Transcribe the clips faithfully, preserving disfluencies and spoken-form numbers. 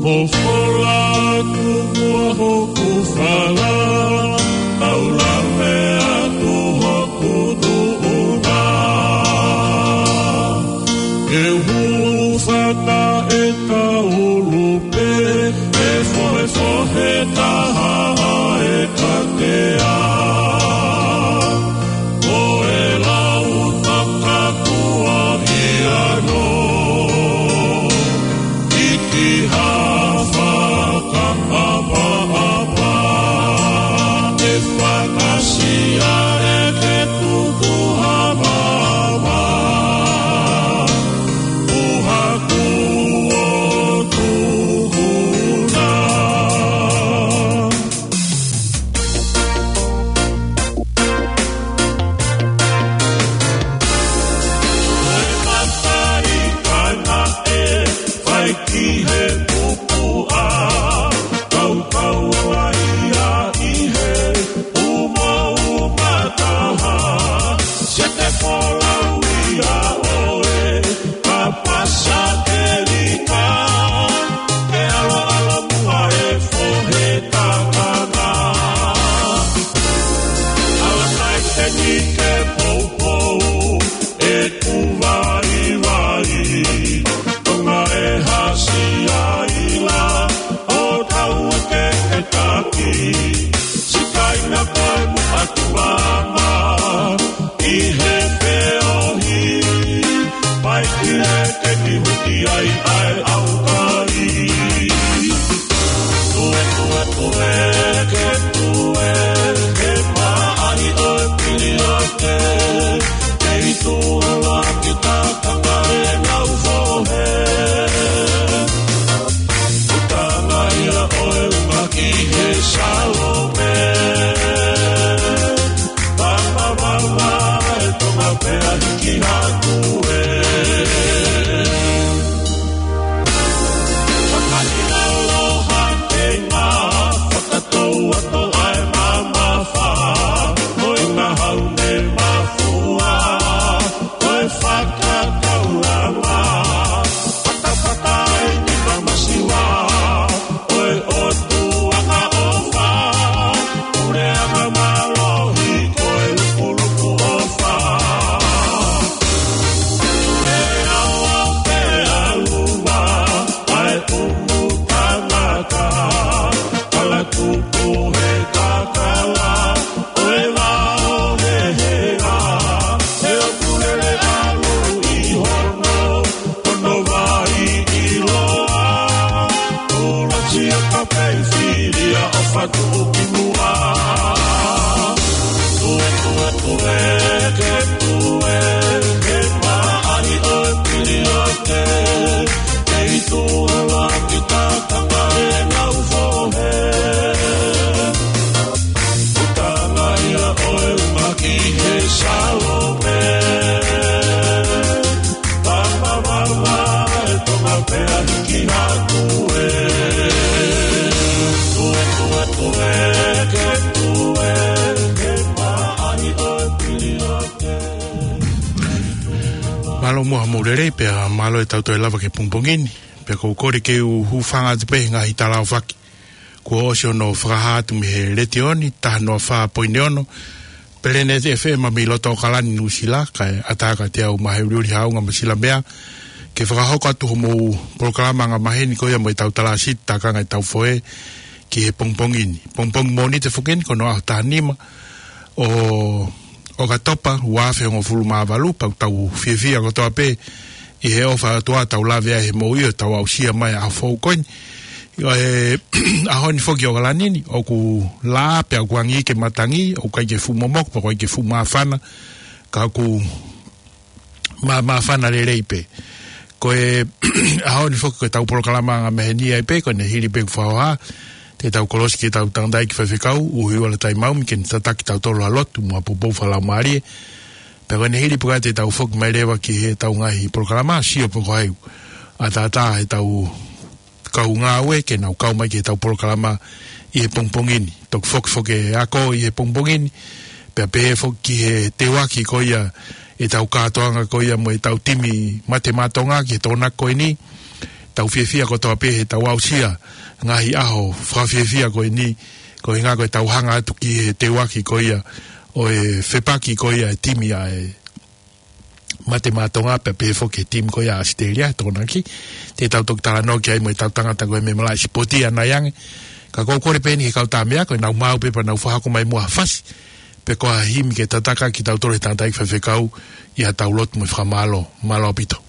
Mo fola atu muʻa hoku fala, tau lave atu hoku tuʻunga. Ke hūfanga ʻe taulu pē, ʻe fohefohe taha ʻa e katea. Ko e lau takakua ia no, ʻi ha fakaʻapaʻapa, ʻe fakasia ʻe ke tuku ha mama, ʻuha kuo tuku na. Ko e matai kaina ʻe fai ki he pupuʻa, kaukau ai ia ʻi he umauma taha, se te folau ia ʻoe, ka pasa ke lika, ke ʻaloʻalo muʻa e fohe takanga. Ala kai te ni ke poupou, ʻeku vaivai, tonga e hasi ai la, ʻo tau ke ke taki, sikaina koe muʻa ki māmani, ʻi he feohi, pai ki he ke ni huti ai ʻa e ʻaukai. Tue, tue, tue, ke tue, ke maʻali ʻo e pili ake, ke itu ala ki takanga e ngau fohe. Utanga ia ʻo e uma ki he Salome. Papa, papa, e tonga pea hiki hatu e. Fakaʻilaloha kei ma, fakatou atu ai mamafa, mo e ngahau ne mafua, ko e fakakaulanga, fatafata ai ni mamasiwa, ko e ʻOtua ʻofa, pule anga mālohi, ko e lukuluku ʻofa. Pea o pea luma, ʻa e tumu tangata, kala tupu he kakala, ʻo e vao he hea, he ʻoku lele ʻalu ʻi hono, hono vai ʻiloa, ʻuluaki ʻa ka pei filia ʻo fatu ki muʻa. Tue, tue, tue, ke tue, ke maʻali ʻo e pili ake, ke itu ala ki takanga e ngau fohe. Utanga ia ʻo e uma ki he Salome. Papa, papa, e tonga pea hiki hatu e. Tue, tue, tue, ke tue, ke maʻali ʻo e pili ake. Mālō muʻa hoʻomou lelei pea mālō e tau toe lava ki he pongipongi ni. Pea ʻoku ou kole ke u hūfanga atu pē he ngaahi tala ʻaofaki kuo ʻosi hono fakahā atu mei he letiō ni, taha noa fā poini ono, Planet F M mei loto ʻAokalani, Nuʻusila, kae ʻatā kiate au Maheuli Haʻunga Masilamea, ke fakahoko atu hoʻomou polokalama angamaheni ko ia mo e tau talāsiti, takanga e tau fohe ki he pongipongi ni. Pongipongi Mōnite foki eni ko hono ʻaho taha nima ʻo ʻOkatopa, ua afe hongofulu mā valu, pea ʻoku tau fiefia kotoa pē ʻi he ʻofa ʻa e ʻOtua ʻoku tau lave ai he moʻui ʻo tau aʻusia mai ʻa e ʻaho foʻou ko eni. ʻI he ʻaho ni foki ʻo ʻAokalani ni, ʻoku laʻā pea ʻoku angi ke matangi, ʻoku ʻikai ke fuʻu momoko, pea ʻoku ʻikai ke fuʻu māfana, ka ʻoku mā-, māfana lelei pē. Ko e ʻaho ni foki ko e tau polokalama angamaheni ai pē, ko ʻene hili pē ʻoku fakahoha, te tau kolosi ki he tau tangataʻeiki faifekau, ʻUhiuala Taimaumi, ke ne tataki kitautolu ʻi he lotu, mo ha poupou fakalaumālie. Pea ko ʻene hili pē ko ia te tau foki mai leva ki he tau ngaahi polokalama, sio pē ko hai ʻoku ʻatā ʻe he tau kau ngāue ke nau kau mai ki he tau polokalama ʻi he pongipongi ni. Toki foki foki e ako ʻi he pongipongi ni, pea pehē foki ki he teuaki ko ia e tau kātoanga ko ia mo e tau timi Mate Maʻa Tonga ki he Tokonaki ko eni. tau fiefia kotoa pē he tau aʻusia ngaahi ʻaho fakafiefia ko eni, ko e ʻuhinga ko e tau hanga atu ki he teuaki ko ia ʻo e fepaki ko ia e timi ʻa e Mate Maʻa Tonga pea pehē foki ki he timi ko ia ʻAositelēlia, Tokonaki. Te tau toki talanoa ki ai mo e tau tangata ko e meʻa malaʻe sipoti ʻanai ange. Ka ʻoku ou kole pē eni ki he kau tā meʻa ko ē nau maʻu pē pea nau fakahoko mai muʻa ha fasi pe ko ha himi ke tataki kitautolu he tangataʻeiki faifekau ʻi ha tau lotu mo e fakamālō. Mālō ʻaupito.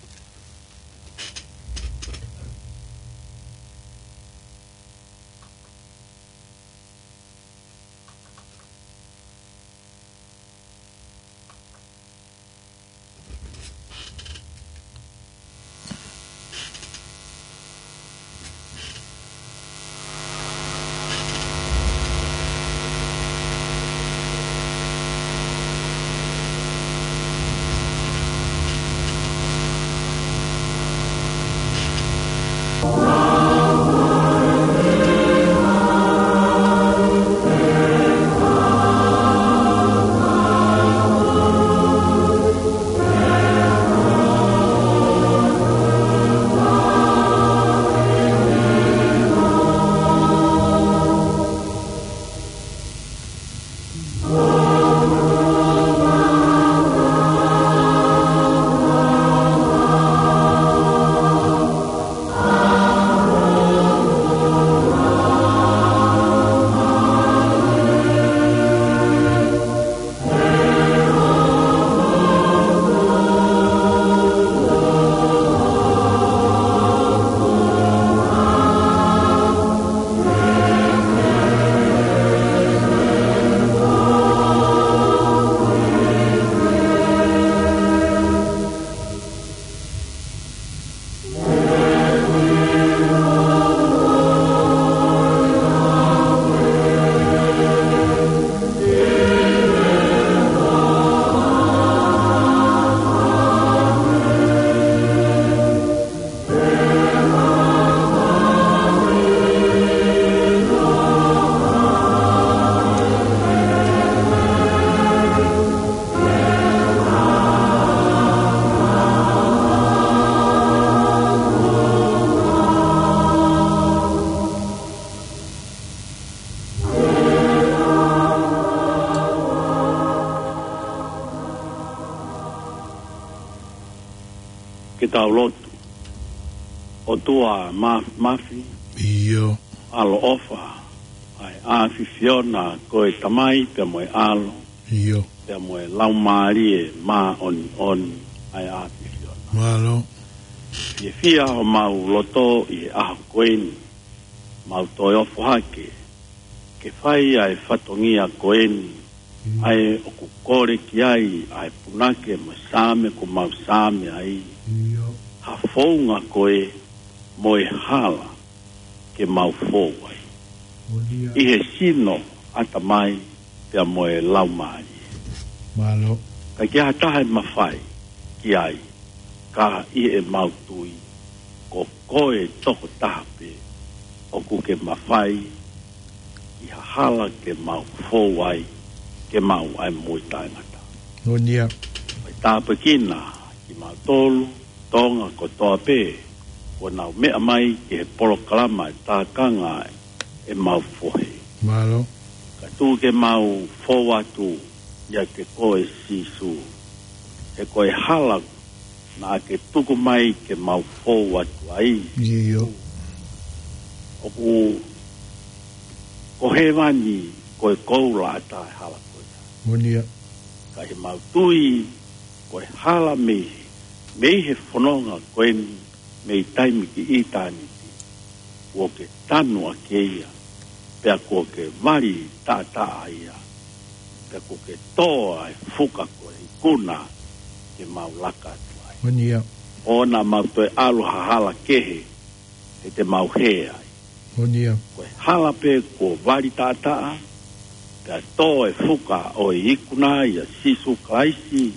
Ke tau lotu. ʻOtua Māfimafi, ʻio, ʻaloʻofa, ʻa e ʻAfiona, ko e Tamai pea mo e ʻAlo, ʻio, pea mo e Laumālie Māʻoniʻoni, ʻa e ʻAfiona. Mālō. Fiefia homau loto ʻi he ʻaho ko eni, mau toe ofo hake ke fai ʻa e fatongia ko eni, ʻio, ʻa ē ʻoku kole ki ai ʻa e punake mo e Saame kuo mau Saame ai, ʻio, ha founga ko ē mo e hala ke mau fou ai. Moʻoni ia. ʻI he sino, ʻatamai, pea mo e laumālie. Mālō. ʻIkai ke ʻi ai ha taha ʻe mafai ki ai, ka ʻi heʻemau tui, ko koe tokotaha pē ʻoku ke mafai ʻi ha hala ke mau fou ai, ke maʻu ʻa e moʻui taʻengata. Moʻoni ia. Fai tāpuekina kimautolu Tonga kotoa pē kuo nau meʻa mai ki he polokalama ʻe tākanga ʻemau fohe. Mālō. Ka tuku ke mau fou atu ʻiate koe Sīsū, he ko e hala naʻa ke tuku mai ke mau fou atu ai, ʻio, ʻoku ko hēvani ko e koula ʻatā e hala ko ia. Moʻoni ia. Ka ʻi heʻemau tui ko e hala mei, mei he fononga ko eni, mei taimi ki ʻitāniti, kuo ke tanu ʻaki ia, pea kuo ke vali taʻataʻa ia, pea kuo ke tō ʻa e fuka ko e ikuna ke mau laka atu ai. Moʻoni ia. ʻOua naʻa mau toe ʻalu ha hala kehe, he te mau hē ai. Moʻoni ia. Ko e hala pē kuo vali taʻataʻa, pea tō e fuka ʻo e ikuna ʻia Sīsū Kalaisi,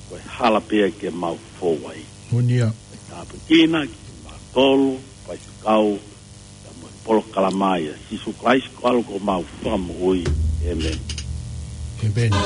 ko e hala pē ia ke mau fou ai. Moʻoni ia. Tāpuekina kimautolu, faifekau, pea mo e polokalama ʻia Sīsū Kalaisi ko e ʻAlo ko homau Fakamoʻui. ʻĒmeni. ʻĒmeni.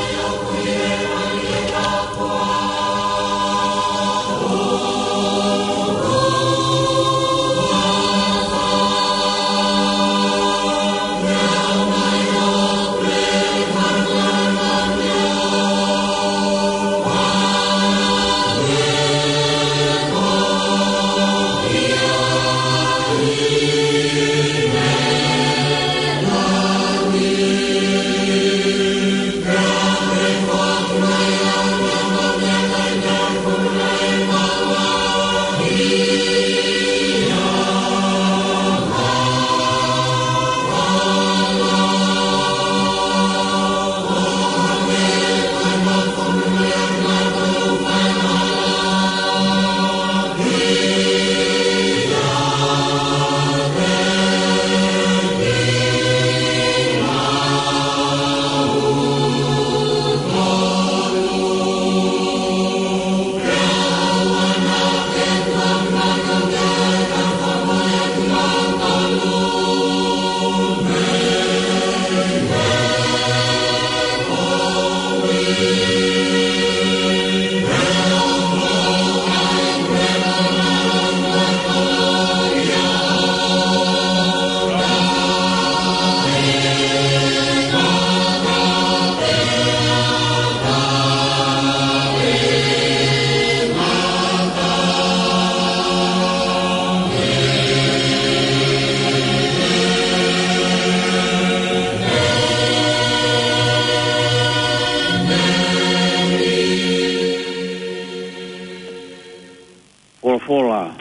Folofola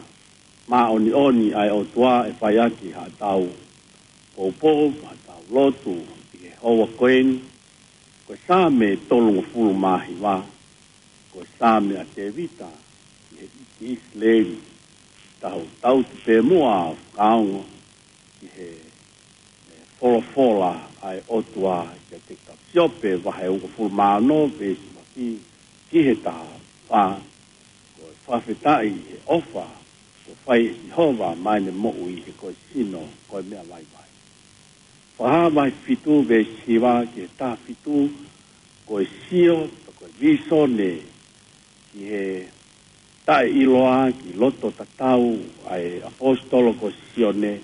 māʻoniʻoni ʻa e ʻOtua ʻe fai ʻaki haʻatau poupou, haʻatau lotu ʻi he houa ko eni. Ko e Saame tolungofulu mā hiva, ko e Saame ʻa Tēvita ʻi he ʻEiki ʻIsileli. Tau tauhi pē muʻa ʻo fakaongo ki he folofola ʻa e ʻOtua kiate kitautolu. Siope vahe uofulu mā ono, veesi ʻuluaki ki he taha fā. Ko e fakafetaʻi he ʻofa kuo fai ʻe Sihova maʻa ʻene moʻui, he ko e sino ko e meʻa vaivai. Fakahā vahe fitu, veesi hiva ki he taha fitu, ko e sio, ko e vīsone ki he taʻeʻiloa, ki loto tatau ʻa e ʻaposetolo ko Sione,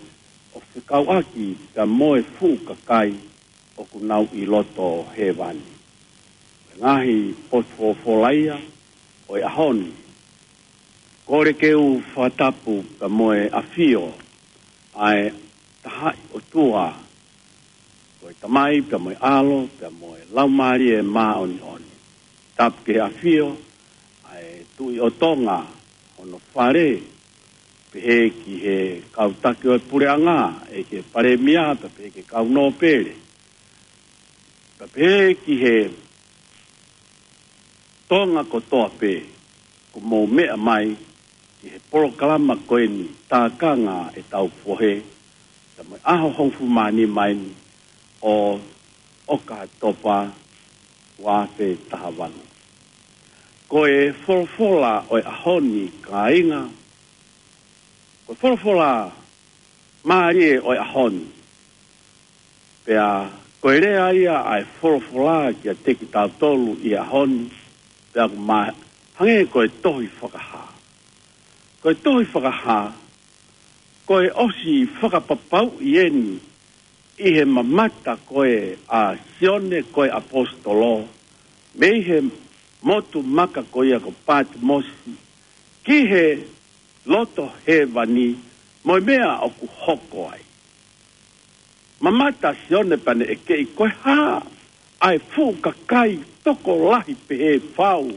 ʻo fekauʻaki pea mo e fuʻu kakai ʻoku nau ʻi loto hēvani. Ngaahi potu folofola ia ʻo e ʻaho ni. Kole ke u fakatapu pea mo e ʻafio ʻa e Tahaʻi ʻOtua, ko e Tamai pea mo e ʻAlo pea mo e Laumālie Māʻoniʻoni. Tapu ki he ʻafio ʻa e Tuʻi ʻo Tonga, hono fale, pehē ki he kau taki ʻo e puleʻanga, ʻe ki he palēmia, pea pehē ki he kau nōpele, pea pehē ki he Tonga kotoa pē kuo mou meʻa mai ki he polokalama ko eni, Tākanga ʻEtau Fohe, pea mo e ʻaho hongofulu mā nima eni ʻo ʻOkatopa ua afe taha valu. Ko e folofola ʻo e ʻaho ni, kāinga, ko e folofola mālie ʻo e ʻaho ni. Pea ko e lea ia ʻa e folofola kiate kitautolu ʻi he ʻaho ni, pea ʻoku ma-, hangē ko e tohi Fakahā. Ko e tohi Fakahā, ko e ʻosi fakapapauʻi eni ʻi he mamata ko ē ʻa Sione ko e ʻaposetolo, mei he motu maka ko ia ko Patimosi, ki he loto hēvani, mo e meʻa ʻoku hoko ai. Mamata Sione pea ne ʻekeʻi ko e hā ʻa e fuʻu kakai tokolahi pehē fau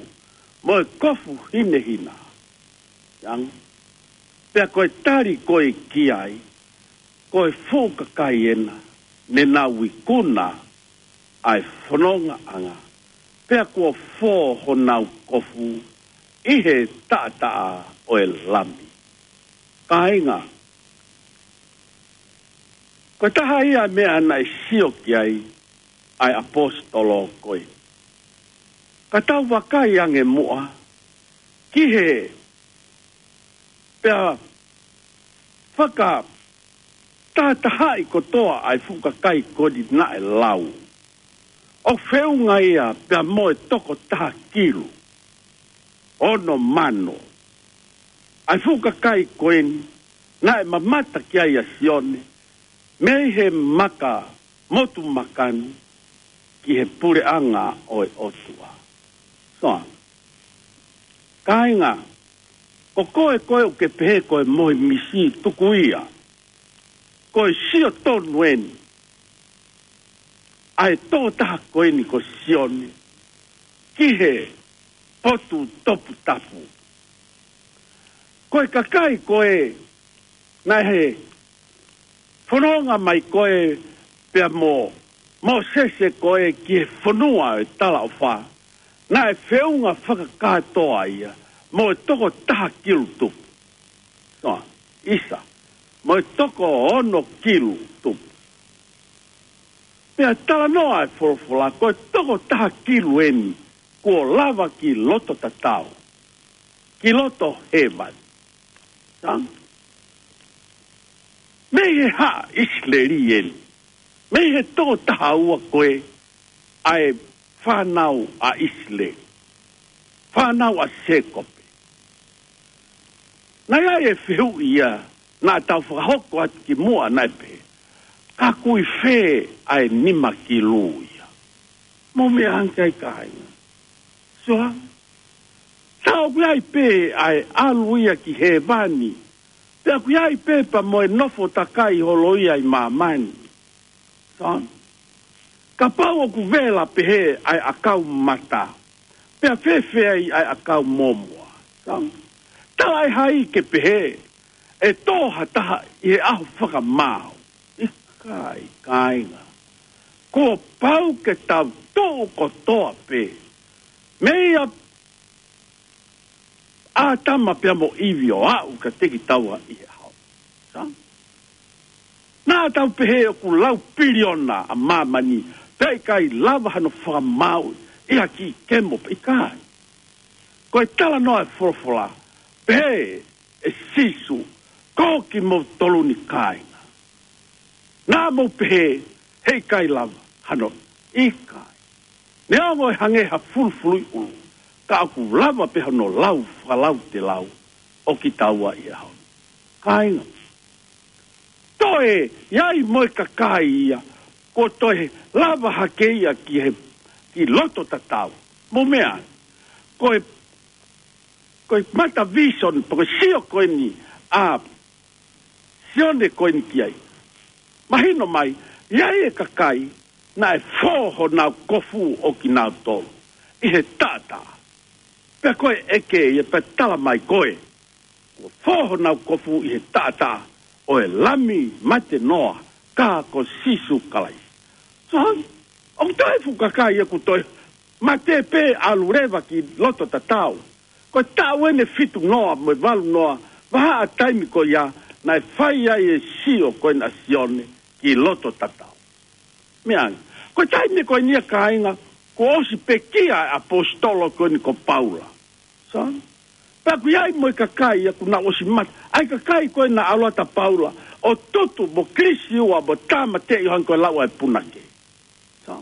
mo e kofu hinehina. Yang. Pea ko e tali ko ē ki ai, ko e fuʻu kakai ena ne nau ikuna ʻa e fonongaʻanga, pea kuo fō honau kofu ʻi he taʻataʻa ʻo e Lami. Kāinga, ko e taha ia meʻa naʻe sio ki ai ʻa e ʻaposetolo ko ē. Ka tau vakai ange muʻa ki he pea fakatahatahaʻi kotoa ʻa e fuʻu kakai ko eni naʻe lau. ʻOku feʻunga ia pea mo e toko taha kilu ono mano ʻa e fuʻu kakai ko eni naʻe mamata ki ai ʻa Sione, mei he maka motu maka ni ki he puleʻanga ʻo e ʻOtua. So, kāinga, ko koe ko ē ʻoku ke pehē ko e mohe misi, tuku ia. Ko e sio tonu eni ʻa e tokotaha ko eni ko Sione ki he potu toputapu. Ko e kakai ko ē naʻe fononga mai ko ē pea mo Mōsese ko ē ki he fonua ʻo e talaʻofa, naʻe feʻunga fakakātoa ia mo e toko taha kilu tupu. So, ʻisa, mo e toko ono kilu tupu. Pea talanoa e folofola, ko e toko taha kilu eni kuo lava ki loto tatau, ki loto hēvani. Sa? Mei he hā ʻIsileli eni? Mei he toko taha ua ko ē ʻa e fānau ʻa ʻIsileli, fānau ʻa Sēkope. Naʻe ʻi ai e fehuʻi ia naʻa tau fakahoko atu ki muʻa naʻe pehē, ka ʻoku ʻi fē ʻa e nima kilu ia? Mou meʻa ange ki ai kāinga. Sua, sa ʻoku ʻi ai pē ʻa e ʻalu ia ki hēvani, pea ʻoku ʻi ai pē pea mo e nofo takai holo ia ʻi māmani. Sa? Kapau ʻoku vela pehē ʻa e ʻakau mata, pea fēfē ai ʻa e ʻakau mōmoa? Sa? Talaʻehai ke pehē ʻe tō ha taha ʻi he ʻaho fakamaau. ʻIkai, kāinga. Kuo pau ke tau tuʻu kotoa pē, meia ʻĀtama pea mo ʻIvi ʻo aʻu kiate kitaua ʻi he ʻaho. Sā? Naʻa tau pehē ʻoku lau piliona ʻa māmani, pea ʻikai lava hano fakamaau ʻi ha kiʻi kemo pē, ʻikai. Ko e talanoa e folofola, pehē ʻe Sīsū, ko kimoutolu ni, kāinga. Naʻa mou pehē heʻikai lava hano, ʻikai. Neongo ʻe hangē ha fulufuluʻi ʻulu, ka ʻoku lava pē hano lau fakalautelau ʻo kitaua ʻi he ʻaho ni. Kāinga, toe ʻi ai mo e kakai ia kuo toe lava hake ia ki he, ki loto tatau. Mou meʻa, ko e, ko e mata vision, pe ko e sio ko eni ʻa Sione ko eni ki ai. Mahino mai, ʻi ai e kakai naʻe fō honau kofu ʻo kinautolu ʻi he taʻataʻa. Pea ko e ʻeke ia, pea tala mai ko ē, kuo fō honau kofu ʻi he taʻataʻa ʻo e Lami mate noa, ka ko Sīsū Kalaisi. So, ʻoku toe fuʻu kakai ia kuo toe mate pē ʻalu leva ki loto tatau. Ko e taʻu eni ʻe fitu noa mo e valu noa, vahaʻa taimi ko ia naʻe fai ai e sio ko ena ʻa Sione ki loto tatau. Meʻa ange, ko e taimi ko eni ia, kāinga, kuo ʻosi pekia e ʻaposetolo ko eni ko Paula. Sā? Pea ʻoku ʻi ai mo e kakai ia kuo nau ʻosi mate. ʻA e kakai ko ē naʻa ʻalu atu ʻa Paula ʻo tutu mo kilisiua mo tāmateʻi ʻo hangē ko e lau ʻa e punake. Sā?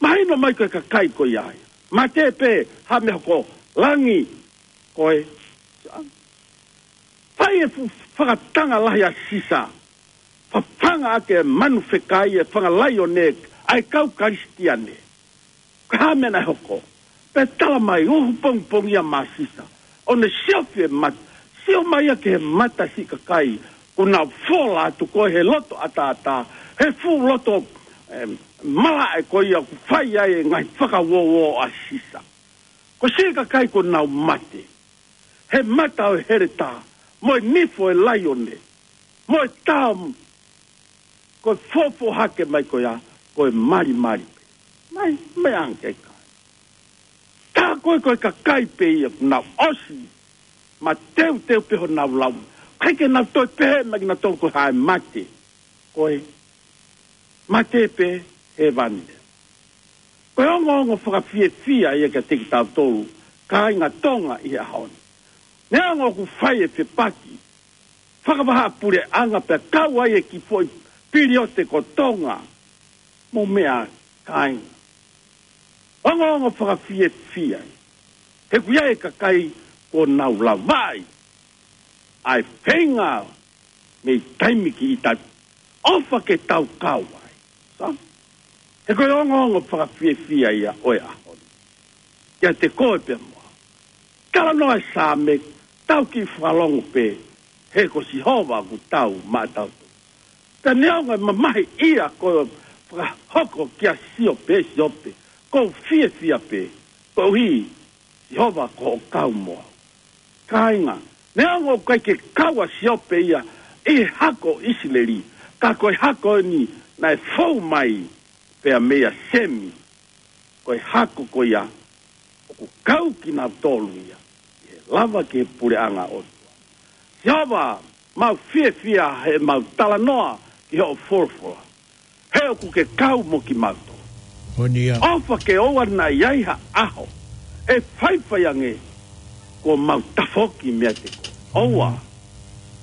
Mahino mai ko e kakai ko ia ia. Mate pē, ha meʻa hoko, langi, ko e. Sā? Fai e fuʻu fakatanga lahi ʻa Sisa. Fafanga ʻaki e manu fekai, e fanga laione ʻa e kau Kalisitiane. Ko e hā e meʻa naʻe hoko? Pea tala mai, uhu pongipongi ia maʻa Sisa, ʻo ne siofi e mata. Sio mai ia ki he mata siʻi kakai kuo nau fola atu ko ē he loto ʻataʻatā, he fuʻu loto, em, malaʻe ko ia ʻoku fai ai e ngaahi fakauouo ʻa Sisa. Ko e siʻi kakai kuo nau mate he mata ʻo e heletā, mo e nifo e laione, mo e tao, ko e fōfō hake mai ko ia, ko e malimali pē. Mai, mai ange kai. Tā ko ē ko e kakai pē ia kuo nau ʻosi mateuteu pē honau lau. ʻIkai ke nau toe pehē mai kinautolu ko e hā e mate. Ko e mate pē, hēvani. Ko e ongoongo fakafiefia ia kiate kitautolu, kāinga Tonga ʻi he ʻaho ni. Neongo ʻoku fai e fepaki fakavahaʻapuleʻanga pea kau ai e kiʻi foʻi piliote ko Tonga. Mou meʻa, kāinga. Ongoongo fakafiefia. He ʻoku ʻi ai e kakai kuo nau lavaʻi ʻa e feinga mei taimi ki taimi. ʻOfa ke tau kau ai. Sā? He ko e ongoongo fakafiefia ia ʻo e ʻaho ni. Kiate koe pea mo au. Talanoa e Saame, tau kiʻi fakalongo pē, he ko Sihova ʻoku tau maʻatautolu. Ka neongo e mamahi ia ko e fakahoko kia Siope, Siope, ʻoku ou fiefia pē, koeʻuhi Sihova ko hoʻo kau mo au. Kāinga, neongo ʻoku ʻikai ke kau ʻa Siope ia ʻi he hako ʻIsileli, ka ko e hako eni naʻe fou mai pea meia Semi, ko e hako ko ia ʻoku kau kinautolu ia ʻi he lava ki he puleʻanga ʻo e ʻOtua. Sihova, mau fiefia heʻemau talanoa ki hoʻo folofola. He ʻoku ke kau mo kimautolu. Moʻoni ia. ʻOfa ke ʻoua naʻa ʻi ai ha ʻaho ʻe faifai ange kuo mau tafoki meiate koe. ʻOua.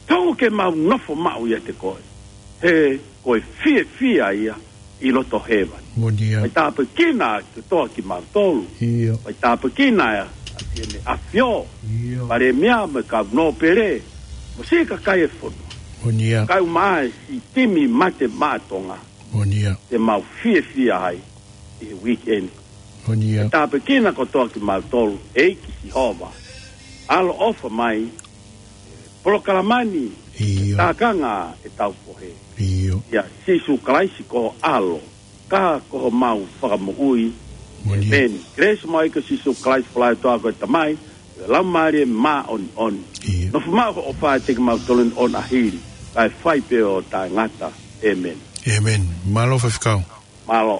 Tau ke mau nofo maʻu ʻiate koe. He ko e fiefia ia ʻi loto hēvani. Moʻoni ia. Fai tāpuekina kotoa kimautolu. ʻIo. Fai tāpuekina ʻa Sione ʻAfio. ʻIo. Palēmia mo e kau nōpele. Mo siʻi kakai e fonua. Moʻoni ia. Kae ʻumaʻā e siʻi timi Mate Maʻa Tonga. Moʻoni ia. Te mau fiefia ai ʻi he weekend. Moʻoni ia. Fai tāpuekina kotoa kimautolu, ʻEiki Sihova. ʻAloʻofa mai, polokalama ni, ʻio, tākanga e tau fohe. ʻIo. ʻIa Sīsū Kalaisi ko ho ʻAlo, ka ko homau Fakamoʻui. Moʻoni ia. ʻĒmeni. Kelesi mo e ʻEiki ko Sīsū Kalaisi, fola ʻa e ʻOtua ko e Tamai, Laumālie Māʻoniʻoni. ʻIo. Nofo maʻu hoʻo ʻofa ʻiate kimautolu ʻo ʻaho ni, kae fai pē ʻo taʻengata. ʻĒmeni. ʻĒmeni. Mālō faifekau. Mālō.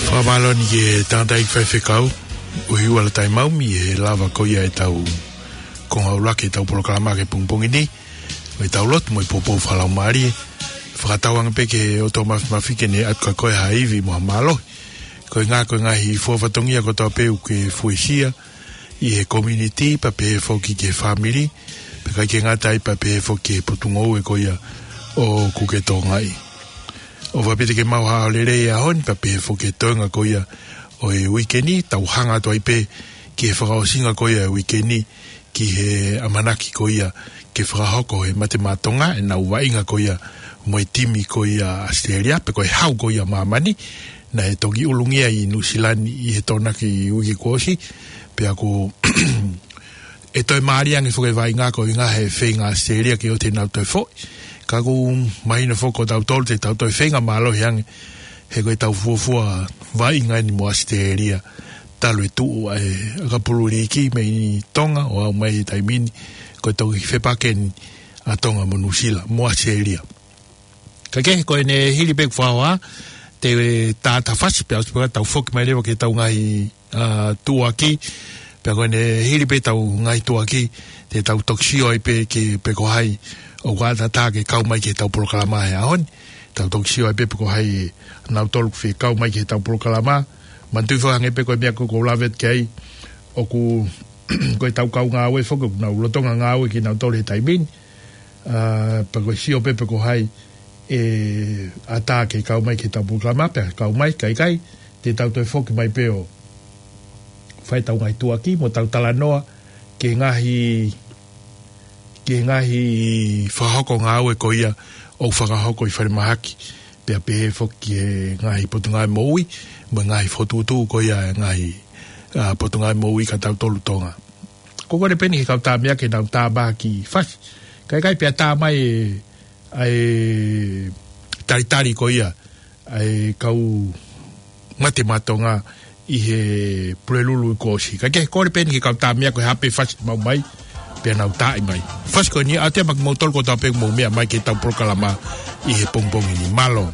Fakamālō ʻeni ki he tangataʻeiki faifekau, ʻUhiuala Taimaumi, he lava ko ia ʻetau konga ʻuluaki ʻetau polokalama ki he pongipongi ni, ʻo ʻetau lotu mo e poupou fakalaumālie. Fakatauange pē ki he ʻOtua Māfimafi ke ne ʻatu kia koe ha ivi mo ha mālohi. Ko e ngaahi, ko e ngaahi fua fatongia kotoa pē ʻoku ke fuesia ʻi he community, pea pehē foki ki he fāmili, pea ʻikai ke ngata ai pea pehē foki ki he potungāue ko ia ʻoku ke tokangaʻi. ʻOfa pē te ke maʻu ha ʻaho lelei he ʻaho ni, pea pehē foki ki he toenga ko ia ʻo e uike ni, tau hanga atu ai pē ki he fakaʻosinga ko ia ʻo e uike ni, ki he ʻamanaki ko ia ke fakahoko ʻe he Mate Maʻa Tonga ʻenau vaʻinga ko ia mo e timi ko ia ʻAositelēlia, pe ko e hau ko ia ʻa māmani, naʻe toki ʻulungia ʻi Nuʻusila ni ʻi he Tokonaki uike kuo ʻosi, pea ʻoku ʻe toe mālie ange foki e vaʻinga ko e ʻuhinga he feinga ʻAositelēlia ke ʻoua te nau toe foʻi. Ka ʻoku mahino foki ko tautolu te tau toe feinga mālohi ange, he ko ʻetau fuofua vaʻinga ʻeni mo ʻAositelēlia, talu e tuʻu ʻa e ʻakapulu liiki mei Tonga ʻo aʻu mai he taimi ni, ko e toki fepaki ʻeni ʻa Tonga mo Nuʻusila mo ʻAositelēlia. Kae kehe, ko ʻene hili pē ʻeku fakahoha, te u tā atu ha fasi pea ʻosi pē ka tau foki mai leva ki heʻetau ngaahi, ā, tuʻuaki. Pea ko ʻene hili pē ʻetau ngaahi tuʻuaki, te tau toki sio ai pē ki he, pe ko hai ʻoku ʻatā ke kau mai ki heʻetau polokalama he ʻaho ni. Tau toki sio ai pē pe ko hai ʻa nautolu ʻoku fie kau mai ki heʻetau polokalama. Manatuʻi foki, hangē pē ko e meʻa ko ē ʻoku ou lave atu ki ai, ʻoku, ko ʻetau kau ngāue foki ʻoku nau lolotonga ngāue kinautolu he taimi ni. Ā, pea ko e sio pē pe ko hai ʻe ʻatā ke kau mai ki heʻetau polokalama, pea kau mai, ka ʻikai, te tau toe foki mai pē ʻo fai ʻetau ngaahi tuʻuaki mo ʻetau talanoa ki he ngaahi, ki he ngaahi fakahoko ngāue ko ia ʻoku fakahoko ʻi falemahaki, pea pehē foki ki he ngaahi potungāue moʻui mo e ngaahi fokotuʻutuʻu ko ia ʻa e ngaahi, ā, potungāue moʻui kia tautolu Tonga. Ko e kole pē ʻeni ki he kau tama ke nau tā mai ha kiʻi fasi. Kae ʻikai, pea tā mai e, ʻa e talitali ko ia ʻa e kau Mate Maʻa Tonga ʻi he Pulelulu kuo ʻosi. Kae kehe, kole pē ʻeni ki he kau tama ke ʻohake ha pē fasi maʻu mai, pea nau tā mai. Fasi ko ʻeni ʻa e tama kimoutolu kotoa pē ʻoku mou meʻa mai ki heʻetau polokalama ʻi he pongipongi ni. Mālō.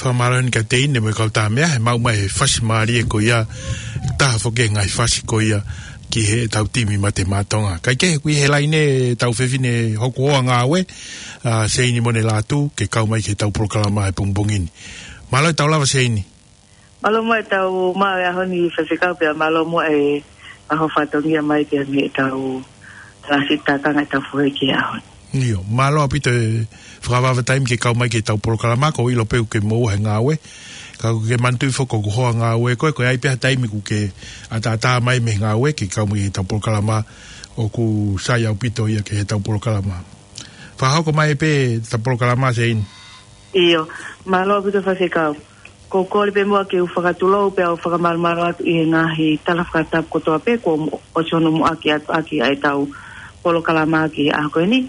Fakamālō eni kia Teine mo e kau Tāmea, he maʻu mai e fasi mālie ko ia, taha foki e ngaahi fasi ko ia ki heʻetau timi Mate Maʻa Tonga. Kae kehe, ʻoku ʻi he laine ʻetau fefine hoku hoa ngāue, ʻa Seini Monelatu, ke kau mai ki heʻetau polokalama he pongipongi ni. Mālō e tau lava, Seini. Mālō mo e tau maʻu e ʻaho ni Faifekau, pea mālō mo e ʻaho fatongia mai pea mei heʻetau talasi takanga ʻetau fohe ki he ʻaho ni. ʻIo, mālō ʻaupito e fakavavevave taimi ke kau mai ki heʻetau polokalama, ʻoku ou ʻilo pē ʻoku ke moʻua he ngāue. Ka ʻoku ke manatuʻi foki ko hoku hoa ngāue ko ē, ko e ʻi ai pē ha taimi ʻoku ke ʻataʻatā mai mei he ngāue ke kau mai ki heʻetau polokalama, ʻoku sai ʻaupito ia ki heʻetau polokalama. Fakahoko mai pē ʻeta polokalama, Seini. ʻIo, mālō ʻaupito Faifekau. ʻOku ou kole pē muʻa ke u fakatulou pea u fakamālō atu ʻi he ngaahi tala fakatapu kotoa pē kuo mo-, ʻosi hono muʻaki atu ʻaki ʻa ʻetau polokalama ki he ʻaho ko eni.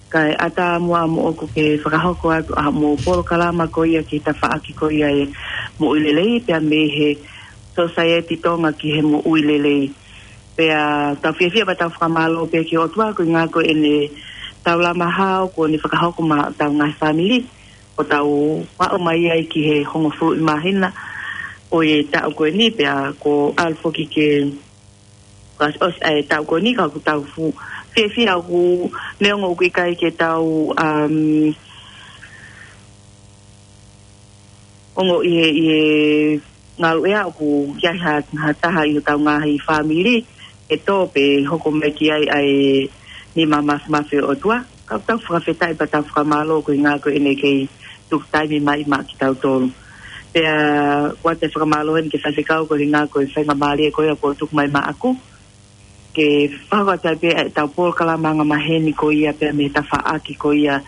Kae ʻatā muʻa moʻoku ke fakahoko atu ʻa hoʻomou polokalama ko ia ki he tafaʻaki ko ia e moʻui lelei pea mei he Sōsaieti Tonga ki he moʻui lelei. Pea tau fiefia pea tau fakamālō pē ki he ʻOtua koeʻuhinga ko ʻene taulama hao kuo ne fakahoko maʻa hotau ngaahi fāmili, ʻo tau aʻu mai ai ki he hongofulu ʻi māhina ʻo e taʻu ko eni, pea kuo ʻalu foki ke kuo ʻosi ʻa e taʻu ko eni ka ʻoku tau fuʻu fiefia ʻoku neongo ʻoku ʻikai ke tau, um, ongoʻi he, ʻi he ngaluʻea ʻoku ʻi ai ha, ha taha ʻi hotau ngaahi fāmili ʻe tō pē hoko mai ki ai ʻa e nima māfimafi ʻo e ʻOtua. Ka ʻoku tau fakafetaʻi pea tau fakamālō koeʻuhinga ko ʻene kei tuku taimi mai maʻa kitautolu. Pea ʻoatu e fakamālō eni ki he Faifekau koeʻuhinga ko e faingamālie ko ia kuo tuku mai maʻaku ke fakahoko atu ai pē ʻetau polokalama angamaheni ko ia pea mei he tafaʻaki ko ia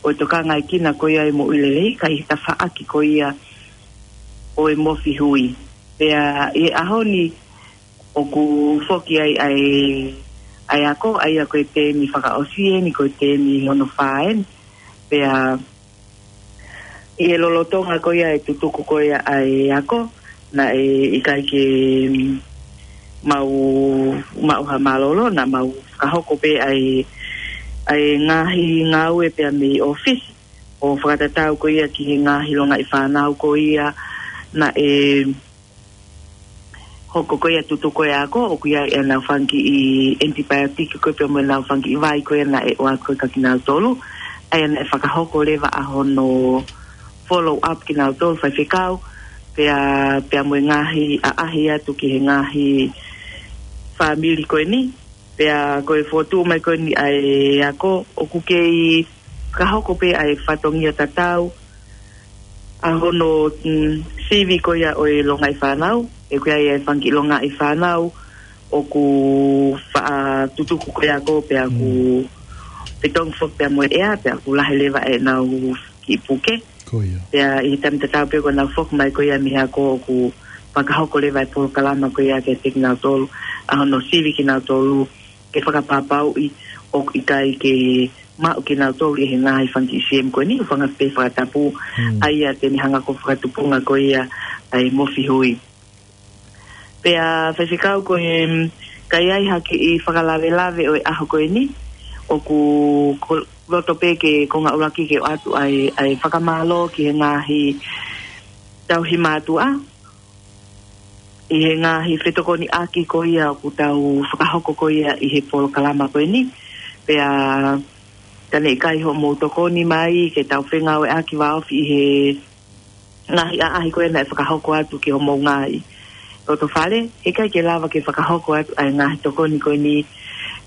ʻo e tokangaʻekina ko ia e moʻui lelei, kae ʻi he tafaʻaki ko ia ʻo e mofi hui. Pea ʻi he ʻaho ni ʻoku foki ai ʻa e, ʻa e ako, ʻa ia ko e temi fakaʻosi eni, ko e temi hono fā eni. Pea ʻi he lolotonga ko ia e tutuku ko ia ʻa e ako, naʻe ʻikai ke mau, mau ha mālōlō, naʻa mau fakahoko pē ʻa e, ʻa e ngaahi ngāue pea mei ʻōfisi, ʻo fakatatau ko ia ki he ngaahi longaʻi fānau ko ia naʻe hoko ko ia tutuku e ako, ʻoku ʻi ai ʻenau fanga kiʻi antibiotic ko ia pea mo ʻenau fanga kiʻi vai ko ia naʻe ʻoatu ko ia kia kinautolu, ʻa ia naʻe fakahoko leva ʻa hono follow up kinautolu faifekau, pea, pea mo e ngaahi ʻaʻahi atu ki he ngaahi fāmili ko eni, pea ko e fokotuʻu mai ko eni ʻa e ako, ʻoku kei fakahoko pē ʻa e fatongia tatau, ʻa hono, mm, sivi ko ia ʻo e longaʻi fānau, ʻoku ʻi ai e fanga kiʻi longaʻi fānau, ʻoku faʻa tutuku ko ia ako pea ʻoku Mm. fetongi foki pea mo e ʻea, pea ʻoku lahi leva ʻenau kiʻi puke. Ko ia. Pea ʻi he taimi tatau pē ko ʻenau foki mai ko ia mei he ako ʻoku fakahoko leva e polokalama ko ia kiate kinautolu, ʻa hono sivi kinautolu, ke fakapapauʻi ʻoku ʻikai ke maʻu kinautolu ʻi he ngaahi fanga kiʻi CM ko eni, ʻo fanga pē fakatapu, Mm. ʻa ia te ne hanga ko e fakatupunga ko ia ʻa e Mofi Hui. Pea faifekau ko e, mm, ka ʻi ai ha kiʻi fakalavelave ʻo e ʻaho ko eni, ʻoku ko-, loto pē ke konga ʻuluaki ke ʻoatu ʻa e, ʻa e fakamālō ki he ngaahi tauhi mātuʻa, ʻi he ngaahi fetokoniʻaki ko ia ʻoku tau fakahoko ko ia ʻi he polokalama ko eni, pea ka ne ʻikai hoʻomou tokoni mai ke tau fengāueʻaki vāofi ʻi he ngaahi ʻaʻahi ko ia naʻe fakahoko atu ki homou ngaahi loto fale, ʻikai ke lava ke fakahoko atu ʻa e ngaahi tokoni ko eni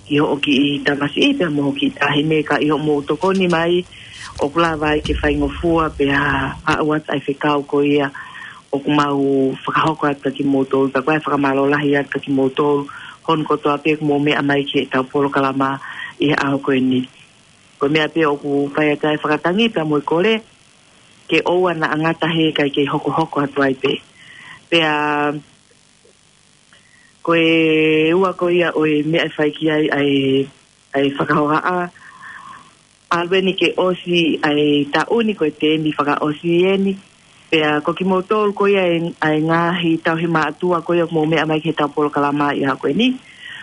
ki hoʻo kiʻi tamasiʻi pea mo hoʻo kiʻi taʻahine, ka ʻi hoʻomou tokoni mai, ʻoku lava ai ke faingofua pea aʻu atu ʻa e fekau ko ia ʻoku mau fakahoko atu kia kimoutolu, pea ko e fakamālō lahi atu kia kimoutolu, hono kotoa pē ʻoku mou meʻa mai ki heʻetau polokalama ʻi he ʻaho ko eni. Ko e meʻa pē ʻoku fai atu ai e fakatangi pea mo e kole, ke ʻoua naʻa ngata he ʻikai ke hokohoko atu ai pē. Pea ko e ua ko ia ʻo e meʻa ʻe fai ki ai ʻa e, ʻa e fakahohaʻa, ʻalu eni ke ʻosi ʻa e taʻu ni, ko e temi fakaʻosi eni. Pea ko kimoutolu ko ia ʻa e, ʻa e ngaahi tauhi mātuʻa ko ia ʻoku mou meʻa mai ki heʻetau polokalama ʻi he ʻaho ko eni,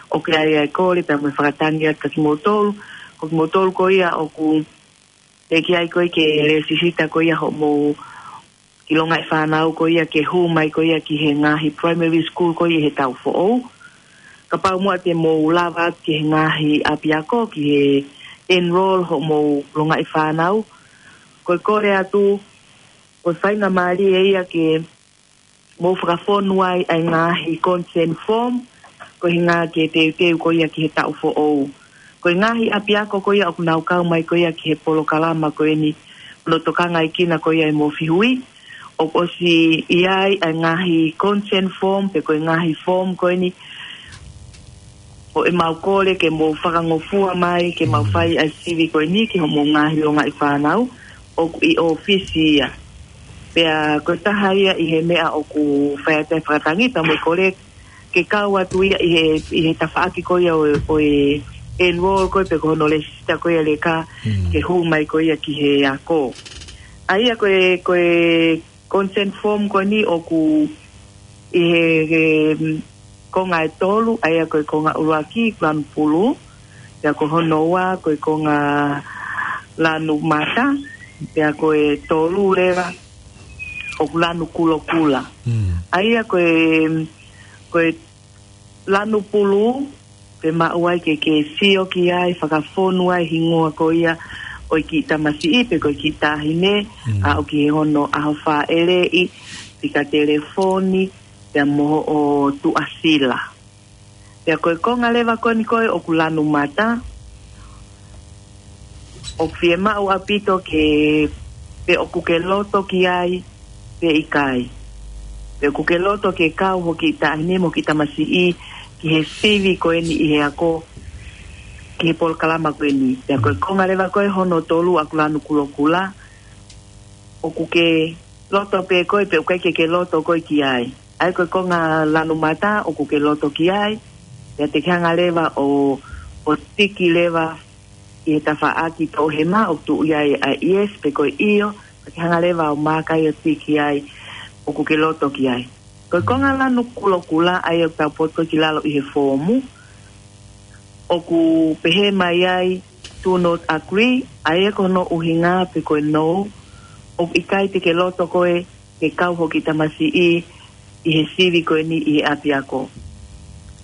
ʻoku ʻi ai ʻa e kole pea mo e fakatangi atu kia kimoutolu. Ko kimoutolu ko ia ʻoku teʻeki ai ko ia ke lēsisita ko ia hoʻomou kiʻi longaʻi fānau ko ia ke hū mai ko ia ki he ngaahi primary school ko ia ʻi he taʻu foʻou. Kapau muʻa te mou lava atu ki he ngaahi ʻapiako ki he enroll hoʻomou longaʻi fānau, ko e kole atu, ko e faingamālie ia ke mou fakafonu ai ʻa e ngaahi consent form, ko e ʻuhinga ke teuteu ko ia ki he taʻu foʻou. Ko e ngaahi ʻapiako ko ia ʻoku nau kau mai ko ia ki he polokalama ko eni, ʻo tokanga ʻi kina ko ia ʻa e Mofi Hui, ʻoku ʻosi ʻi ai ʻa e ngaahi consent form, pe ko e ngaahi form ko eni, ʻo ʻemau kole ke mou fakangofua mai, ke mau Mm. fai ʻa e sivi ko eni ki hoʻomou ngaahi longaʻi fānau, ʻoku ʻi ʻōfisi ia. Pea ko e taha ia ʻi he meʻa ʻoku fai atu ai e fakatangi pea mo e kole ke kau atu ia ʻi he, ʻi he tafaʻaki ko ia ʻo e, ʻo e enroll ko ia pe ko hono lēsisita ko ia leka Mm. ke hū mai ko ia ki he ako. ʻA ia ko e, ko e consent form ko eni ʻoku ʻi he, he, mm, konga ʻe tolu, ʻa ia ko e konga ʻuluaki, lanu pulu, pea ko hono ua, ko e konga lanu mata, pea ko e tolu leva, ʻoku lanu kulokula. Mm. ʻA ia ko e, ko e lanu pulu, pe maʻu ai ke ke sio ki ai, fakafonu ai hingoa ko ia ʻo e kiʻi tamasiʻi, pe ko e kiʻi taʻahine, Mm. ʻa ʻoku ʻi he hono ʻaho fāʻeleʻi, fika telefoni, pea mo hoʻo tuʻasila. Pea ko e konga leva ko eni ko ē ʻoku lanu mata, ʻoku fiemaʻu ʻaupito ke, pe ʻoku ke loto ki ai, pe ʻikai. Pe ʻoku ke loto ke kau hoʻo kiʻi taʻahine mo hoʻo kiʻi tamasiʻi ki he sivi ko eni ʻi he ako, ki he polokalama ko eni. Pea ko e konga leva ko ē hono tolu ʻoku lanu kulokula, ʻoku ke loto pē koe, pe ʻoku ʻikai ke ke loto koe ki ai. ʻA ia ko e konga lanu mata ʻoku ke loto ki ai, pea te ke hanga leva ʻo, ʻo tiki leva ʻi he tafaʻaki toʻohema ʻoku tuʻu ai ʻa e yes pe ko e ʻio, pea ke hanga leva ʻo maaka ai ʻo tiki ai ʻoku ke loto ki ai. Ko e konga lanu kulokula ʻa ia ʻoku tau potu ki lalo ʻi he foomu, ʻoku pehē mai ai, "Do not agree," ʻa ia ko hono ʻuhinga pe ko e no, ʻoku ʻikai te ke loto koe ke kau hoʻo kiʻi tamasiʻi ʻi he sivi ko eni ʻi he ʻapiako.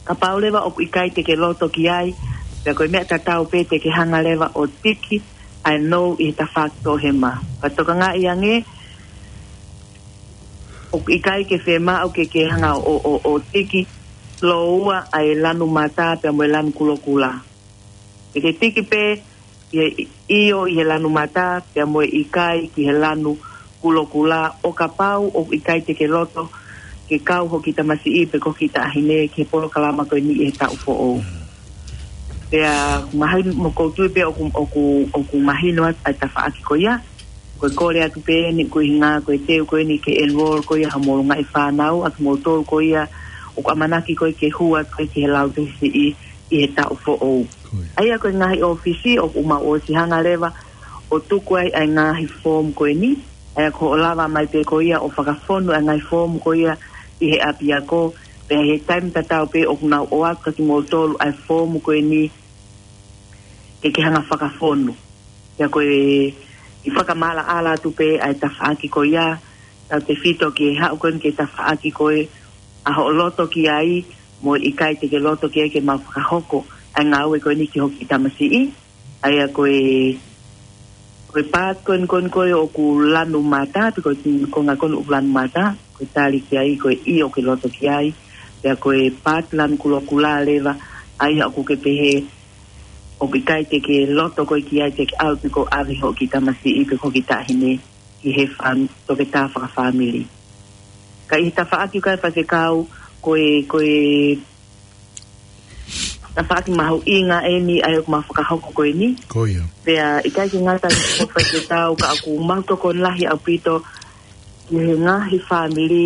Kapau leva ʻoku ʻikai te ke loto ki ai, pea ko e meʻa tatau pē te ke hanga leva ʻo tiki ʻa e no ʻi he tafaʻaki toʻohema. Ka tokangaʻi ange, ʻoku ʻikai ke fiemaʻu ke ke hanga ʻo, ʻo, ʻo tiki lōua ʻa e lanu mata pea mo e lanu kulokula. Ke ke tiki pē ʻi he ʻio ʻi he lanu mata pea mo e ʻikai ki he lanu kulokula, ʻo kapau ʻoku ʻikai te ke loto ke kau hoʻo kiʻi tamasiʻi pe ko ho kiʻi taʻahine ki he polokalama ko eni ʻi he taʻu foʻou. Pea mahino, mo ʻoku ou tui pē ʻoku, ʻoku, ʻoku mahino atu ʻa e tafaʻaki ko ia. Ko e kole atu pē eni ko e ʻuhinga ko e teu ko eni ke enroll ko ia hoʻomou ngaahi fānau, ʻa kimoutolu ko ia ʻoku ʻamanaki ko ē ke hū atu ko ē ki he Lautohi Siʻi ʻi he taʻu foʻou. Ko ia. ʻA ia ko e ngaahi ʻōfisi ʻoku mau ʻosi hanga leva ʻo tuku ai ʻa e ngaahi foomu ko eni. ʻA ia ko hoʻo lava mai pē ko ia ʻo fakafonu ʻa e ngaahi foomu ko ia ʻi he ʻapiako. Pea ʻi he taimi tatau pē ʻoku nau ʻoatu kia kimoutolu ʻa e foomu ko eni ke ke hanga fakafonu. Pea ko e, ʻi he fakamaʻalaʻala atu pē ʻa e tafaʻaki ko ia, tautefito ki he haʻu ko eni ki he tafaʻaki ko ē ʻa hoʻo loto ki ai, mo e ʻikai te ke loto ki ai ke mau fakahoko ʻa e ngāue ko eni ki ho kiʻi tamasiʻi. ʻA ia ko e, ko e paati ko eni ko eni ko ē ʻoku lanu mata, pe ko e konga ko eni ʻoku lanu mata, ko e tali ki ai, ko e ʻio ke loto ki ai. Pea ko e paati lanu kulokula leva, ʻa ia ʻoku ke pehē, ʻoku ʻikai te ke loto koe ki ai, te ke ʻalu pē ʻo ʻave hoʻo kiʻi tamasiʻi pe ko ho kiʻi taʻahine ki he fam-, toketā fakafāmili. Ka ʻi he tafaʻaki ko ē Faifekau, ko e, ko e tafaʻaki mahuʻinga eni ʻa ia ʻoku mau fakahoko ko eni. Ko ia. Pea ʻikai ke ngata ai ko Faifekau, ka ʻoku mau tokoni lahi ʻaupito ki he ngaahi fāmili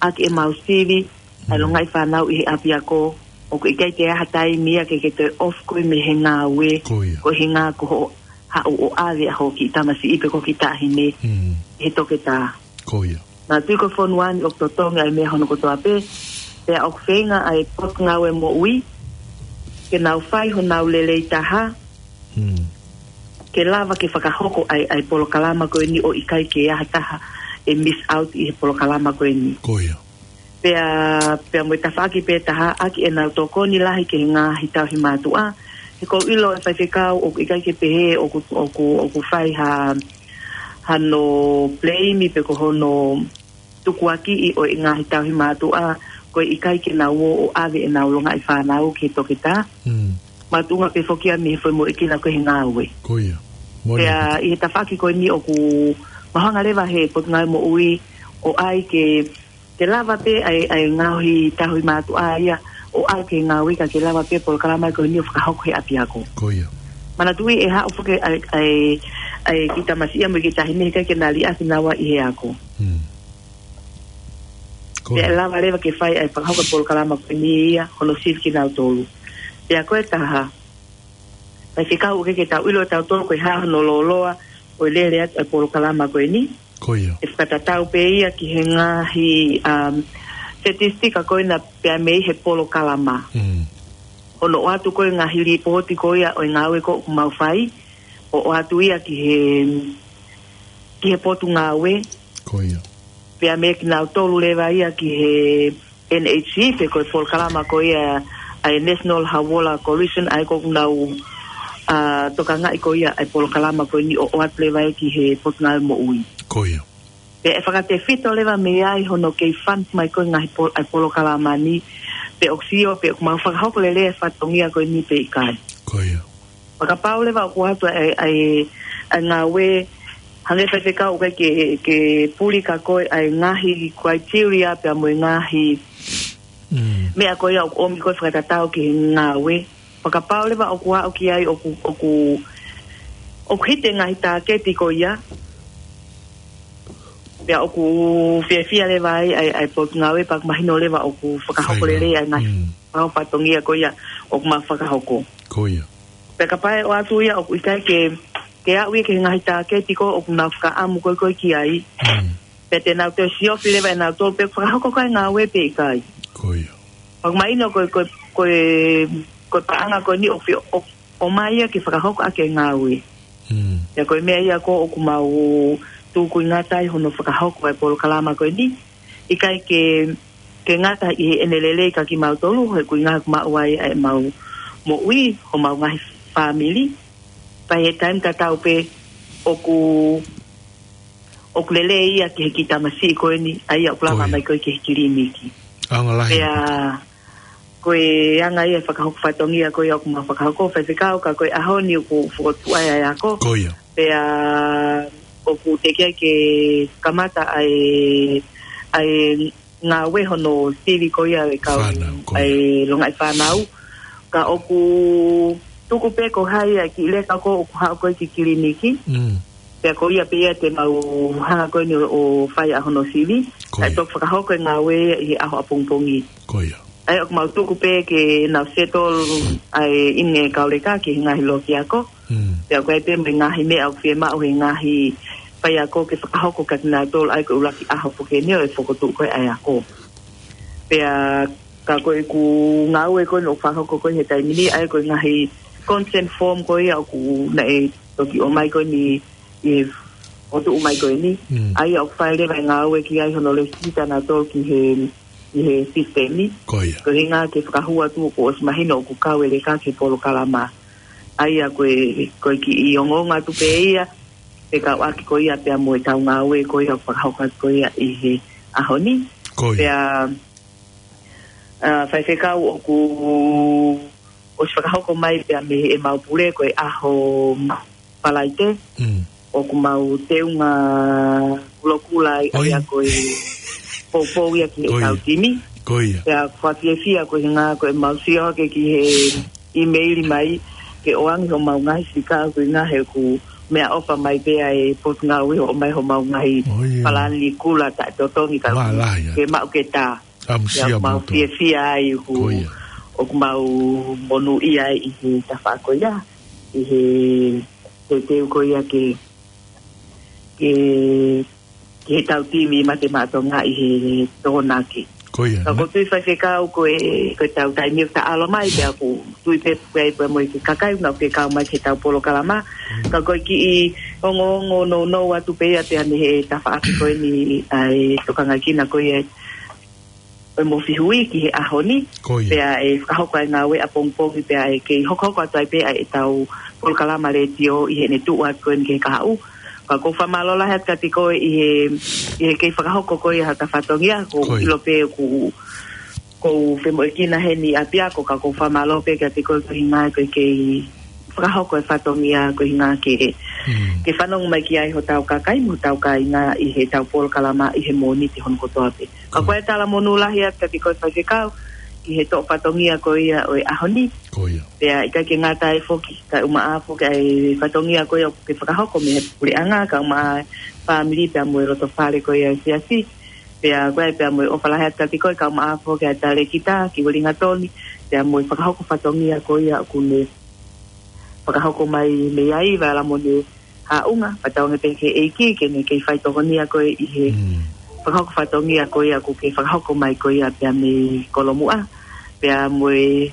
ʻaki ʻemau sivi ʻa e longaʻi fānau ʻi he ʻapiako, ʻoku ʻikai ke ʻi ai ha taimi ia ke ke toe off koe mei he ngāue, Ko ia. ko e ʻuhinga ko hoʻo haʻu ʻo ʻave ʻa hoʻo kiʻi tamasiʻi pe ko ho kiʻi taʻahine Mm. he toketā. Ko ia. Naʻa tui ko e fonua ni ʻoku totongi ʻa e meʻa hono kotoa pē, pea ʻoku feinga ʻa e Potungāue Moʻui ke nau fai honau lelei taha, Mm. ke lava ke fakahoko ʻa e, ʻa e polokalama ko eni ʻo ʻikai ke ʻi ai ha taha ʻe miss out ʻi he polokalama ko eni. Ko ia. Pea, pea mo e tafaʻaki pē taha ʻaki ʻenau tokoni lahi ki he ngaahi tauhi mātuʻa. He ʻoku ou ʻilo ʻe Faifekau ʻoku ʻikai ke pehē ʻoku, ʻoku, ʻoku fai ha, hano blame pe ko hono tukuakiʻi ʻo e ngaahi tauhi mātuʻa, ko e ʻikai ke nau ō ʻo ʻave ʻenau longaʻi fānau ki he toketā. Mm. Makatuʻunga pē foki ia mei he foʻi moʻuekina ko ē he ngāue. Ko ia. Moʻoni. Pea ʻi he tafaʻaki ko eni ʻoku mau hanga leva he Potungāue Moʻui ʻo ʻai ke, ke lava pē ʻa e, ʻa e ngaahi tauhi mātuʻa ia ʻo ʻalu ki he ngāue ka ke lava pē polokalama ko eni ʻo fakahoko he ʻapiako. Ko ia. Manatuʻi ʻe haʻu foki ʻa e, ʻa e, ʻa e kiʻi tamasiʻi mo e kiʻi taʻahine he ʻikai ke na liʻaki naua ʻi he ako. Mm. Ko Pea ia. lava leva ke fai ʻa e fakahoko e polokalama ko eni ia, hono sivi kinautolu. Pea ko e taha, Faifekau, ʻoku ʻikai ke tau ʻilo ʻe tautolu ko e hā hono lōloa ʻo e lele atu ʻa e polokalama ko eni. Ko ia. ʻE fakatatau pē ia ki he ngaahi, um, statistika ko ena pea mei he polokalama. Mm. Hono ʻoatu ko ē ngaahi lipooti ko ia ʻo e ngāue ko ē ʻoku mau fai, ʻo ʻoatu ia ki he, ki he Potungāue. Ko ia. Pea mei kinautolu leva ia ki he N H C, pe ko e polokalama ko ia ʻa e National Hauola Coalition, ʻa ia ʻoku nau, ʻa, tokangaʻi ko ia ʻa e polokalama ko eni ʻo ʻoatu leva ia ki he Potungāue Moʻui. Ko ia. Pea ʻe fakatefito leva mei ai hono kei fund mai ko ē ngaahi pol-, ʻa e polokalama ni, pe ʻoku sio, pe ʻoku mau fakahoko lelei e fatongia ko eni pe ʻikai. Ko ia. Fakapapau leva ʻoku ʻoatu ʻa e, ʻa e, ʻa e ngāue, hangē Faifekau ʻoku ʻikai ke, ke puli kia koe ʻa e ngaahi criteria pea mo e ngaahi Mm. meʻa ko ia ʻoku ʻomi ko ē fakatatau ki he ngāue. Fakapapau leva ʻoku aʻu ki ai ʻoku, ʻoku, ʻoku hiki e ngaahi tāketi ko ia. Pea ʻoku fiefia leva ai, ʻa e, ʻa e Potungāue pea ʻoku mahino leva ʻoku fakahoko Fai lelei ai ngaahi Mm. fakahoko fatongia ko ia ʻoku mau fakahoko. Ko ia. Pea kapau ʻe ʻoatu ia ʻoku ʻikai ke, ke aʻu ia ki he ngaahi tāketi ko ē ʻoku nau fakaʻamu ko ē ko ē ki ai. Mm. Pea te nau toe siofi leva ʻe nautolu pe ʻoku fakahoko ʻaki e ngāue pe ʻikai. Ko ia. Fakamahino ko e, ko e, ko e, ko e paʻanga ko eni ʻoku fie, ʻo, ʻomai ia ke fakahoko ʻaki e ngāue. Mm. Pea ko e meʻa ia ko ē ʻoku mau tukuingata ai hono fakahoko e polokalama ko eni. ʻIkai ke, ke ngata ʻi heʻene lelei kia kimautolu, he ʻoku ʻi ai ʻoku maʻu ai ʻemau moʻui, homau ngaahi fāmili. Pea ʻi he taimi tatau pē ʻoku, ʻoku lelei ia ki he kiʻi tamasiʻi ko eni, ʻa ia ʻoku lava mai ko ē ki he kiliniki. ʻAonga lahi. Pea ko e anga ia e fakahoko fatongia ko ia ʻoku mau fakahoko, Faifekau, ka ko e ʻaho ni ʻoku fokotuʻu ai ʻa e ako. Ko ia. Pea ʻoku teʻeki ai ke kamata ʻa e, ʻa e ngāue hono sivi ko ia e kau, fānau, ko ia. ʻA e longaʻi fānau. Ka ʻoku tuku pē ko hai ʻa e kiʻi leka ko ē ʻoku haʻu ko ē ki kiliniki. Mm. Pea ko ia pē ia te mau hanga ko eni ʻo, ʻo fai ʻa hono sivi. Ko ia. Kae toki fakahoko e ngāue ia ʻi he ʻaho ʻapongipongi. Ko ia. ʻA ia ʻoku mau tuku pē ke nau settle ʻa e ʻi he kau leka ki he ngaahi loki ako. Mm. Pea ko e pē mo e ngaahi meʻa ʻoku fiemaʻu he ngaahi faiako ke fakahoko kia kinautolu ʻa ia ko e ʻuluaki ʻaho foki eni ʻo e fokotuʻu ko ē ʻa e ako. Pea ka ko ʻeku ngāue ko eni ʻoku fakahoko ko ē he taimi ni ʻa ia ko e ngaahi consent form ko ia ʻoku naʻe toki ʻomai ko eni ʻi he fokotuʻu mai ko eni. Mm. ʻA ia ʻoku fai leva e ngāue ki ai hono lēsisita nautolu ki he ʻi he sisitemi. Ko ia. Ko e ʻuhinga ke fakahū atu kuo ʻosi mahino ʻoku kau e leka ki he polokalama. ʻA ia ko e, ko e kiʻi ongoongo atu pē ia, fekauʻaki ko ia pea mo e tau ngāue ko ia ʻoku fakahoko atu ko ia ʻi he ʻaho ni. Ko ia. Pea, ʻa, Faifekau, ʻoku ʻosi fakahoko mai pea mei heʻemau pule ko e ʻaho Falaite. Mm. ʻOku mau teunga kulokula ai, ʻa ia ko e poupou ia ki he tau timi. Ko ia. Pea ʻoku ou fiefia ko e ʻuhinga ko ʻemau sio hake ki he ʻīmeili mai ke ʻoange homau ngaahi sika ko e ʻuhinga he ʻoku meʻaʻofa mai pē ʻa e Potungāue ʻo ʻomai homau ngaahi palani kula taʻetotongi ka ke maʻu ke tā. Pea ʻoku mau fiefia ai ʻoku, ʻoku mau monūʻia ai ʻi he tafaʻaki ko ia, ʻi he teuteu ko ia ke, ke, ke he tau timi Mate Maʻa Tonga ʻi he Tokonaki. Ko ia. Ka ʻoku ou tui Faifekau ko e, ko e tau taimi ʻoku taʻalo mai, pea ʻoku ou tui pē pea, pea mo e kakai ʻoku nau fekau mai ki he tau polokalama. Ka ko e kiʻi ongoongo nounou atu pē ia pea mei he tafaʻaki ko eni ʻa e tokangakina ko ia ʻo e Mofihui ki he ʻaho ni. Ko ia. Pea ʻe fakahoko ʻa e ngāue ʻapongipongi pea ʻe kei hokohoko atu ai pē ʻa e tau polokalama letiō ʻi heʻene tuʻu atu ko eni ki he kahaʻu. Ka ʻoku ou fakamālō lahi atu kiate koe ʻi he, ʻi he kei fakahoko ko ia ha fatongia, ʻoku ou ʻilo pē ʻoku, ʻoku ou femoʻuekina heni ʻapiako ka ʻoku ou fakamālō pē kiate koe ko e ʻuhinga ko e kei fakahoko e fatongia ko e ʻuhinga ke, ke fanongo mai ki ai hotau kakai mo hotau kāinga ʻi he tau polokalama ʻi he Mōnite hono kotoa pē. Ka ko e talamonū lahi atu kiate koe Faifekau, ki he toʻo fatongia ko ia ʻo e ʻaho ni. Ko ia. Pea ʻikai ke ngata ai foki, kae ʻumaʻā foki ʻa e fatongia ko ia ʻoku ke fakahoko mei he puleʻanga, kae ʻumaʻā e fāmili pea mo e loto fale ko ia ʻo e siasi. Pea ko ia pea mo e ʻofa lahi atu kiate koe, kae ʻumaʻā foki ʻa e talēkita, Kiuelinga Toni, pea mo e fakahoko fatongia ko ia ʻoku ne fakahoko mai mei ai, Vailamoni Haʻunga, fakatauange pē ki he ʻEiki ke ne kei fai tokonia koe ʻi he fakahoko fatongia ko ia ʻoku ke fakahoko mai ko ia pea mei Kolomuʻa. Pea mo e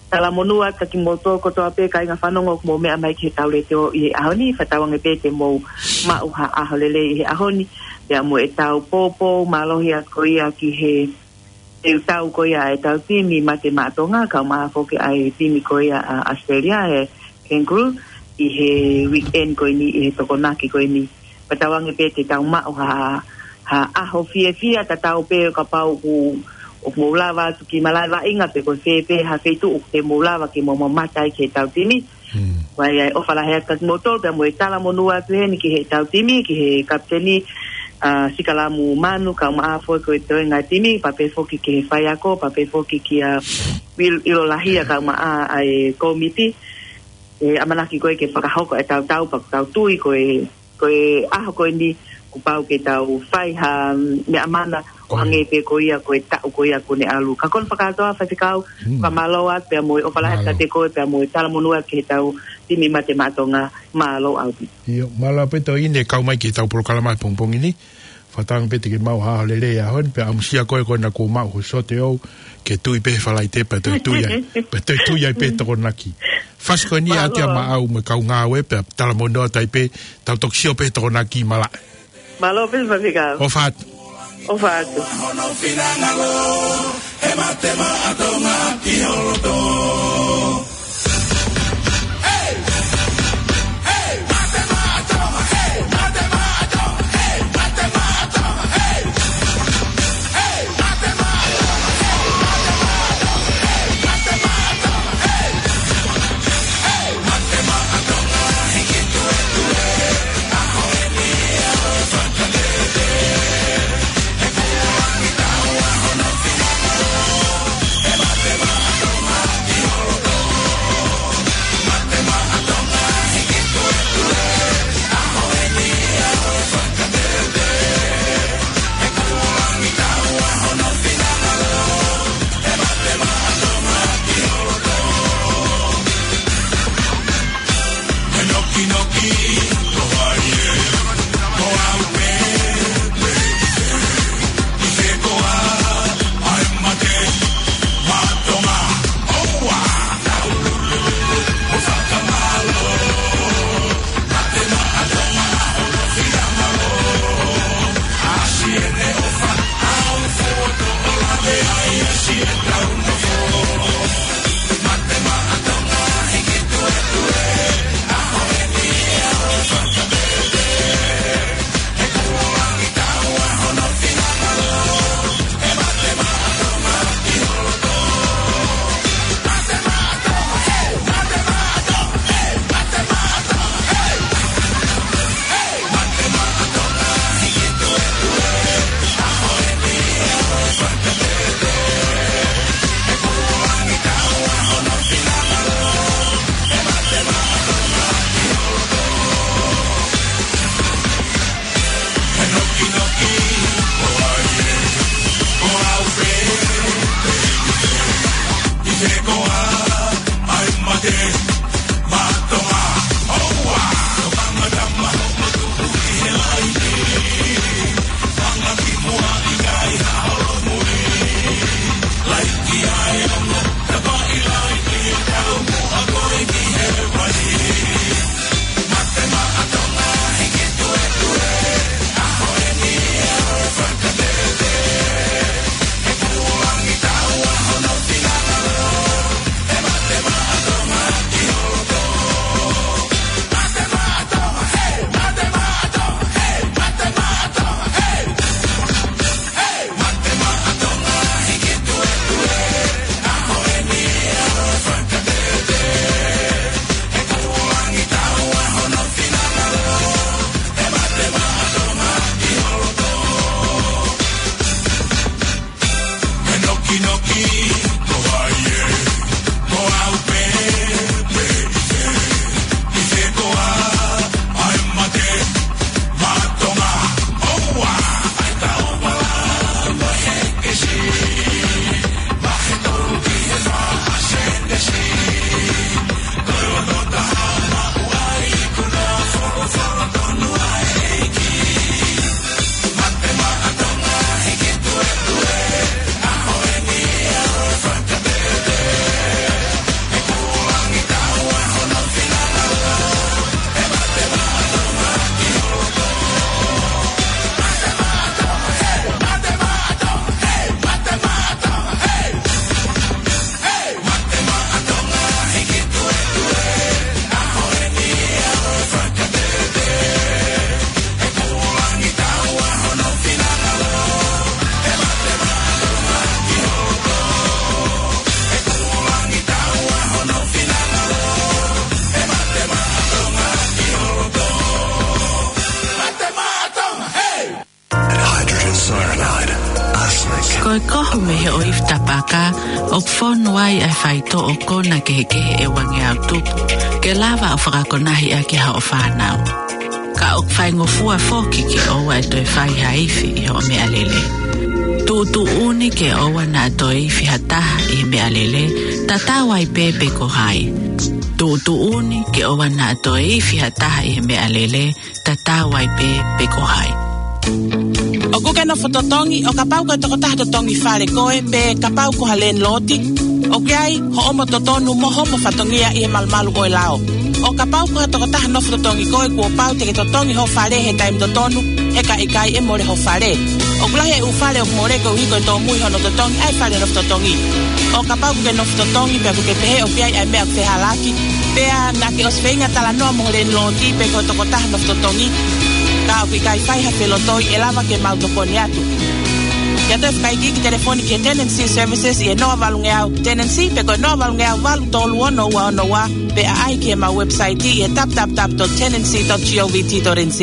talamonū atu kiate kimoutolu kotoa pē kāinga fanongo ʻoku mou meʻa mai ki he tau letiō ʻi he ʻaho ni, fakatauange pē te mou maʻu ha ʻaho lelei ʻi he ʻaho ni, pea mo e tau poupou mālohi atu ko ia ki he ʻe tau ko ia ʻa e tau timi Mate Maʻa Tonga, kae ʻumaʻā foki ʻa e timi ko ia ʻa ʻAositelēlia, ʻa e Kangaroo, ʻi he weekend ko eni, ʻi he Tokonaki ko eni. Fakatauange pē te tau maʻu ha, ha ʻaho fiefia tatau pē kapau ʻoku, ʻoku mou lava atu ki malaʻe vaʻinga pe ko fē pē ha feituʻu ʻoku te mou lava ke mou mamata ai ki he tau timi. Ko ia ʻofa lahi atu kiate kimoutolu, pea mo e talamonū atu heni ki he tau timi, ki he kapiteni, ʻa, Sikalamu Manu, kae ʻumaʻā foki ko e toenga timi, pea pehē foki ki he faiako, pea pehē foki kia Will ʻIlolahia, kae ʻumaʻā ʻa e kōmiti, ʻe ʻamanaki ko ē ke fakahoko e tau tau, pea ʻoku tau tui ko e ko e ʻaho ko eni kuo pau ke tau fai ha meʻa mana ʻo hangē pē ko ia ko e taʻu ko ia kuo ne ʻalu. Ka ko hono fakakātoa Faifekau, fakamālō atu pea mo e ʻofa lahi atu kiate koe pea mo e talamonū atu ki he tau timi Mate Maʻa Tonga, mālō ʻaupito. ʻIo, mālō ʻaupito ʻEne kau mai ki he tau polokalama he pongipongi ni. Fakatauange pē te ke maʻu ha ʻaho lelei he ʻaho ni, pea ʻamusia koe ko ena kuo maʻu ho sote ʻoʻou, ke tui pē he Falaite pea toe tui ai, pea toe tui ai pē Tokonaki. Fasi ko eni ʻa Tia Maʻau mo e kau ngāue pea talamonū atu ai pē, tau toki sio pē Tokonaki malaʻe. Mālō pē Faifekau. ʻOfa atu. ʻOfa atu. Hydrogen cyanide, arsenic. Ko e kohu mei he ʻoifi tapaka, ʻoku fonu ai ʻa e faitoʻo kona kehekehe ʻe uangeau tupu, ke lava ʻo fakakonahi ʻaki haʻo fānau. Ka ʻoku faingofua foki ke ʻoua ʻe toe fai ha ifi ʻi hoʻo meʻalele. Tuʻutuʻuni ke ʻoua naʻa toe ifi ha taha ʻi he meʻalele, tatau ai pē pe ko hai. Tuʻutuʻuni ke ʻoua naʻa toe ifi ha taha ʻi he meʻalele, tatau ai pē pe ko hai. ʻOku ke nofo totongi, ʻo kapau ko e tokotaha totongi fale koe, pe kapau ko ha landlord, ʻoku ʻi ai hoʻomo totonu mo hoʻomo fatongia ʻi he malumalu ʻo e lao. ʻO kapau ko ha tokotaha nofo totongi koe, kuo pau te ke totongi ho fale he taimi totonu, he ka ʻikai ʻe mole ho fale. ʻOku lahi e ʻū fale ʻoku mole koeʻuhi ko e tōmui hono totongi ʻa e fale nofo totongi. ʻO kapau ʻoku ke nofo totongi, pea ʻoku ke pehē ʻoku ʻi ai ʻa e meʻa ʻoku fehālaaki, pea naʻa ke ʻosi feinga talanoa mo ho landlord pe ko e tokotaha nofo totongi, ka ʻoku ʻikai fai ha felotoi, ʻe lava ke mau tokoni atu. Ke ʻoatu e fakaikiiki telefoni ki he Tenancy Services ʻi he noa valungeau Tenancy, pe ko e noa valungeau valu tolu ono ua ono ua, pe ʻaʻahi ki heʻemau website ʻi he w w w dot tenancy dot govt dot n z.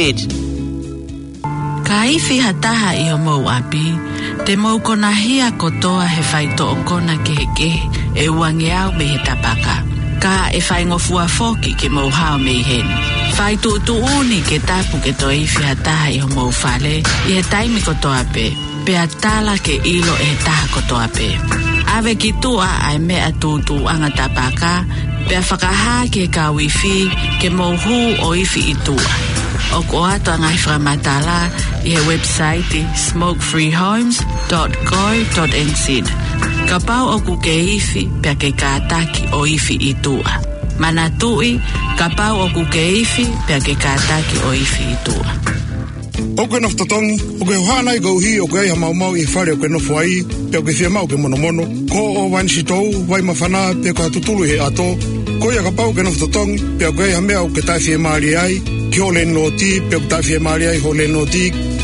Ka ifi ha taha ʻi homou ʻapi, te mou konahia kotoa he faitoʻo kona kehekehe ʻe uangeau mei he tapaka. Ka ʻe faingofua foki ke mou hao mei heni. Fai tuʻutuʻuni ke tapu ke toe ifi ha taha ʻi homou fale ʻi he taimi kotoa pē, pea tala ke ʻilo ʻe he taha kotoa pē. ʻAve ki tuʻa ʻa e meʻa tūtuuʻanga tapaka, pea fakahā ki he kau ifi ke mou hū ʻo ifi ʻi tuʻa. ʻOku ʻoatu ʻa e ngaahi fakamatala ʻi he website smoke free homes dot co dot n z. Kapau ʻoku ke ifi, pea ke kātaki ʻo ifi ʻi tuʻa. Manatuʻi, kapau ʻoku ke ifi, pea ke kātaki ʻo ifi ʻi tuʻa. ʻOku ke nofo totongi, ʻoku ke hohaʻa nai koeʻuhi ʻoku ʻi ai ha maumau ʻi he fale ʻoku ke nofo ai, pea ʻoku ke fie maʻu ke monomono, ko e ʻōvani sitou, vai māfana, pe ko ha tutulu ʻi he ʻato? Ko ia kapau ʻoku ke nofo totongi, pea ʻoku ʻi ai ha meʻa ʻoku ke taʻefiemālie ai ki hoʻo landlord, pe ʻoku taʻefiemālie ai hoʻo landlord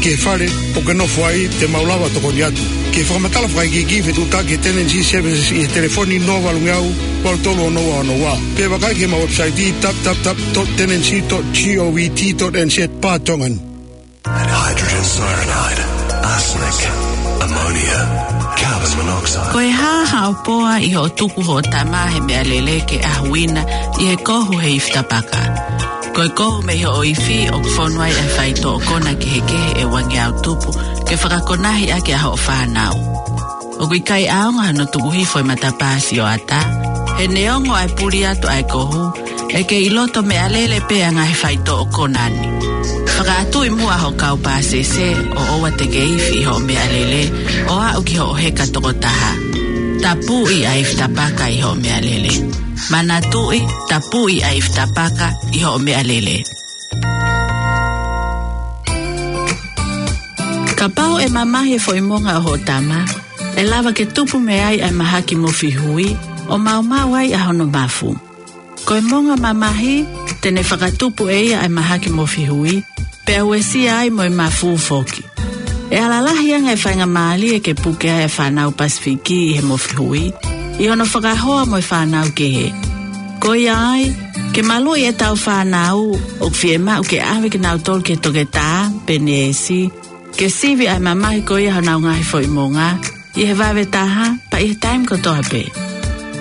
ki he fale ʻoku ke nofo ai, te mau lava tokoni atu. Ki he fakamatala fakaikiiki, fetuʻutaki ki he Tenancy Services ʻi he telefoni noa valungeau valu tolu ono ua ono ua. Pe vakai ki heʻemau website w w w dot tenancy dot govt dot n z. Pātongan. Hydrogen cyanide, arsenic, ammonia, carbon monoxide. Ko e hā haʻo poa ʻi hoʻo tuku hoʻo tama he meʻalele ke ʻahuina ʻi he kohu he ifi tapaka? Ko e kohu mei hoʻo ifi ʻoku fonu ai ʻa e faitoʻo kona kehekehe ʻe uangeau tupu ke fakakonahi ʻaki ʻa hoʻo fānau. ʻOku ʻikai ʻaonga hano tuku hifo e matapā sioʻata. He neongo ʻa e puli atu ʻa e kohu, ʻe kei ʻi loto meʻalele pē ʻa e ngaahi faitoʻo kona ni. Fakaʻatuʻi muʻa hoʻo kau pāsese ʻo ʻoua te ke ifi ʻi hoʻo meʻalele ʻo aʻu ki hoʻo heka tokotaha. Tapuʻi ʻa e ifi tapaka ʻi hoʻo meʻalele. Manatuʻi, tapuʻi ʻa e ifi tapaka ʻi hoʻo meʻalele. Kapau ʻe mamahi e foʻi monga ʻo hoʻo tama, ʻe lava ke tupu mei ai ʻa e mahaki mofi hui, ʻo maumau ai ʻa hono mafu. Ko e monga mamahi, te ne fakatupu ʻe ia ʻa e mahaki mofi hui, pea uesia ai mo e mafu foki. ʻE ala lahi ange e faingamālie ke puke ai e fānau Pasifiki ʻi he mofi hui, ʻi hono fakahoa mo e fānau kehe. Ko ia ai, ke maluʻi ʻetau fānau, ʻoku fiemaʻu ke ʻave kinautolu ki he toketā pe neesi, ke sivi ʻa e mamahi ko ia honau ngaahi foʻi monga, ʻi he vave taha, pea ʻi he taimi kotoa pē.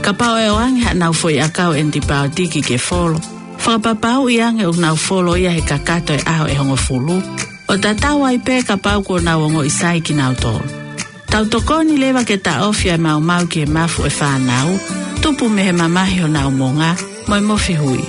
Kapau ʻe ʻoange haʻanau foʻi ʻakau ʻenipaotiki ke folo, fakapapauʻi ange ʻoku nau folo ia he kakato e ʻaho ʻe hongofulu, ʻo tatau ai pē kapau kuo nau ongoʻi sai kinautolu. Tau tokoni leva ke taʻofi ʻa e maumau ki he mafu ʻo e fānau, tupu mei he mamahi honau monga, mo e mofi hui.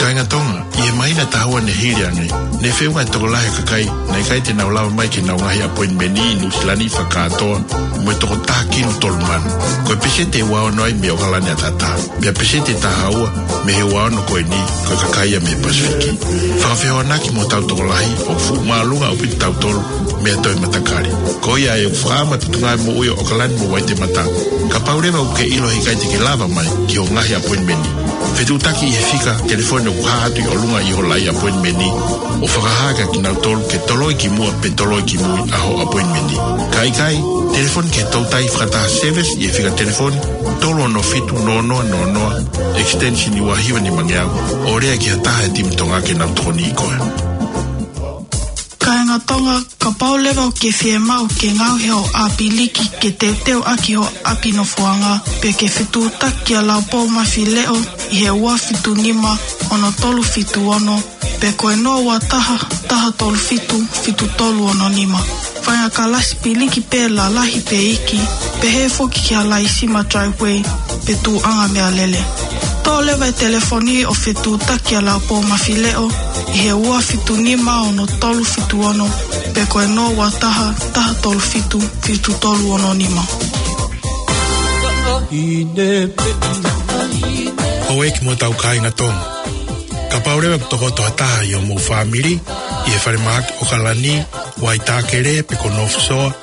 Kāinga Tonga, ʻi he māhina ʻe taha ua ne hili ange, ne feʻunga e tokolahi e kakai naʻe ʻikai te nau lava mai ki heʻenau ngaahi appointment ʻi Nuʻu Sila ni fakakātoa mo e toko taha kinu tolu mano. Ko e peseti ʻe ua ono ai mei ʻOkalani ʻAtatā. Pea peseti ʻe taha ua mei he ua ono ko eni, ko e kakai ia mei Pasifiki. Fakafehoanaki mo hotau tokolahi, ʻoku fuʻu māʻolunga ʻaupito tautolu mei ha toe matakali. Ko ia ai ʻoku fakaʻamu e Potungāue Moʻui ʻo ʻOkalani mo Waitemata. Kapau leva ʻoku ke ʻilo he ʻikai te ke lava mai ki hoʻo ngaahi appointment, fetuʻutaki ʻi he fika telefoni ʻoku hā atu ʻi ʻolunga ʻi ho laʻi appointment, ʻo fakahā kia kinautolu ke toloi ki muʻa pe toloi ki mui ʻa hoʻo appointment. Ka ʻikai, telefoni ki he toutai fakataha service ʻi he fika telefoni tolu ono fitu noa noa noa noa, extension ua hiva nima ngeau, ʻo lea ki ha taha he timi Tonga ke nau tokoniʻi koe. Kāinga Tonga, kapau leva ʻoku ke fiemaʻu ke ngaohi hoʻo ʻāpiliki ke teuteu ʻaki hoʻo ʻapi nofoʻanga, pe ke fetuʻutaki kia Laupou Mafileʻo ʻi he ua fitu nima ono tolu fitu ono, pe ko e noa ua taha, taha tolu fitu, fitu tolu ono nima. Faʻahinga kalasi piliki pē lalahi pe iiki, pehē foki kia Laisima Driveway, pe tuʻuʻanga meʻalele. Toʻo leva e telefoni ʻo fetuʻutaki ʻa Laupōmafileʻo ʻi he ua fitu nima ono tolu fitu ono, pe ko e noa ua taha, taha tolu fitu, fitu tolu ono nima. Houʻeiki mo e tau kāinga Tonga. Kapau leva ʻoku tokoto ha taha ʻi hoʻomou fāmili ʻi he falemahaki ʻOkalani, Waitākele pe ko North Shore,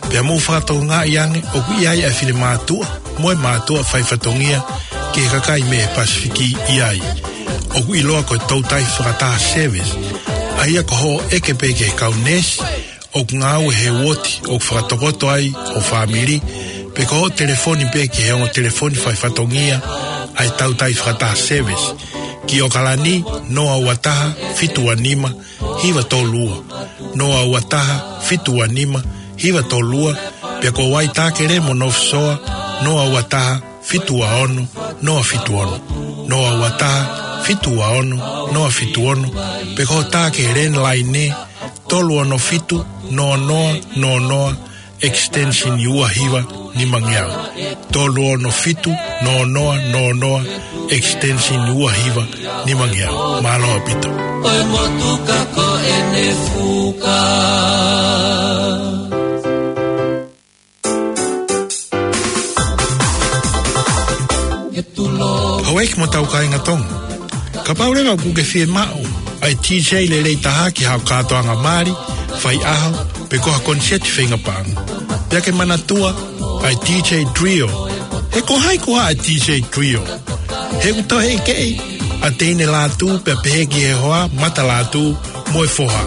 pea mou fakatokangaʻi ange ʻoku ʻi ai ʻa e finemātuʻa mo e mātuʻa faifatongia ki he kakai mei he Pasifiki ʻi ai, ʻoku ʻiloa ko e toutai fakataha service, ʻa ia ko hoʻo ʻeke pē ki he kau neesi ʻoku ngāue he uooti ʻoku fakatokoto ai ho fāmili, pe ko hoʻo telefoni pē ki he ongo telefoni faifatongia ʻa e toutai fakataha service ki ʻOkalani, noa ua taha, fitu ua nima, hiva tolu ua, noa ua taha, fitu ua nima, hiva tolu ua, pea ko Waitākele mo North Shore, noa ua taha, fitu ua ono, noa fitu ono, noa ua taha, fitu ua ono, noa fitu ono, pe ko e tā ki he landline, tolu ono fitu, noa noa noa noa, extension ua hiva nimangeau. Tolu ono fitu, noa noa noa noa, extension ua hiva nimangeau. Mālō ʻaupito. Ko e motuka ko ʻene fuka. Houʻeiki mo e tau kāinga Tonga. Kapau leva ʻoku ke fiemaʻu ʻa e D J lelei taha ki haʻo kātoanga mali, faiʻaho, pe ko ha koniseti feinga paʻanga, pea ke manatua ʻa e D J Trio. He ko hai koā ʻa e D J Trio? He ʻoku tauhi ʻe he keʻi ʻa Teine Lātū pea pehē ki he hoa, Mata Lātū mo e foha.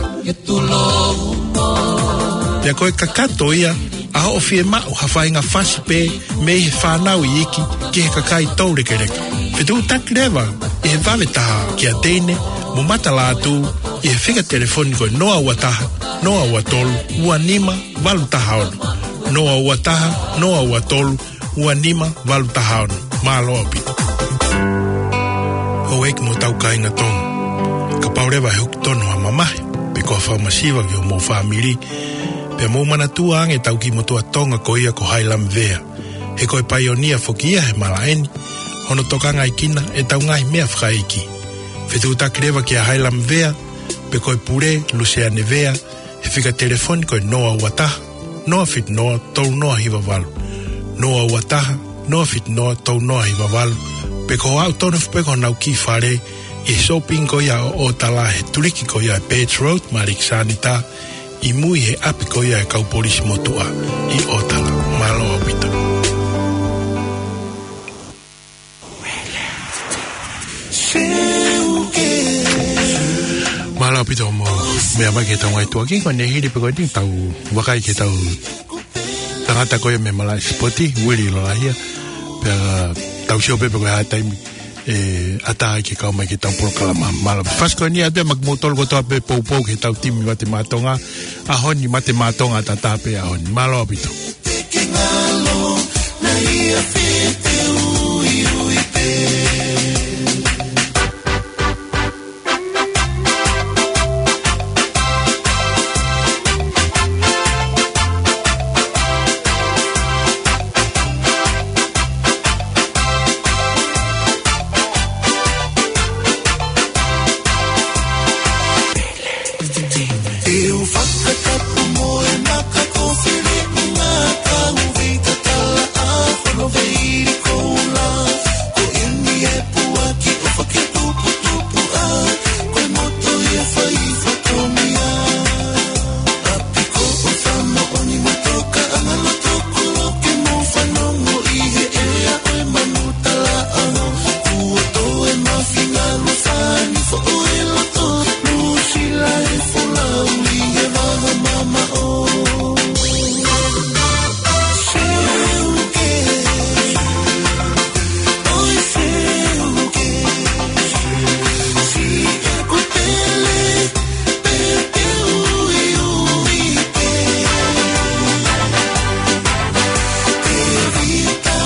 Pea ko e kakato ia ʻa hoʻo fiemaʻu ha faʻahinga fasi pē mei he fānau iiki ki he kakai toulekeleka. Fetuʻutaki leva ʻi he vave taha kia Teine mo Mata Lātū ʻi he fika telefoni ko e noa ua taha, noa ua tolu, ua nima, valu taha ono. Noa ua taha, noa ua tolu, ua nima, valu taha ono. Mālō ʻaupito. Houʻeiki mo e tau kāinga Tonga. Kapau leva ʻe huki tonu ha mamahi pe ko ha fakamasiva ki homou fāmili, pea mou manatua ange ʻetau kiʻi motuʻa Tonga ko ia ko Hailamvea. He ko e paionia foki ia he malaʻe ni, hono tokangaʻi kinautolu ʻetau ngaahi meʻa fakaʻeiki. Fetuʻutaki leva kia Hailamvea pe ko e pule, Luseane Vea, he fika telefoni ko e noa ua taha, noa fitu noa, tolu noa hiva valu. Noa ua taha, noa fitu noa, tolu noa hiva valu. Pe ko e aʻu tonu foki pē ki honau kiʻi fale ʻi he shopping ko ia ʻo ʻOtala he tuliki ko ia ʻa e Birch Road mo Alexander, ʻi mui he ʻapi ko ia ʻa e kau polisi motuʻa ʻi ʻOtala. Mālō ʻaupito. Mālō ʻaupito hoʻomou meʻa mai ki heʻetau ngaahi tuʻuaki, ko ʻene hili pē ko eni ʻetau vakai ki heʻetau tangata ko ia mei he malaʻe sipoti, Uili Lolahia. Pea tau sio pē pe ko e hā e taimi ʻe ʻatā ai ke kau mai ki heʻetau polokalama. Mālō. Fasi ko eni atu ia maʻa kimoutolu kotoa pē poupou ki heʻetau timi Mate Maʻa Tonga. ʻAho ni Mate Maʻa Tonga ʻataʻatā pē ʻaho ni. Mālō ʻaupito. ʻE u fakatapu mo e maka ko Filiʻi Ngākau, vei tatala ʻa Fono, vei Koula. Ko eni e puaki ʻofa ke tuputupu ʻa, ko e moto ia faifatongia. ʻApiko ʻofa moʻoni mo tokaʻanga loto koloke mo fanongo ʻi he ʻea ʻo e manu talaʻanga. Kuo toe mafinga lufani foʻo e loto, Nuʻusila e folau ʻi he vaha mamaʻo. Seuke, ʻoi Seuke, siʻa ko Pele, Pele ui ui pē. Tevita,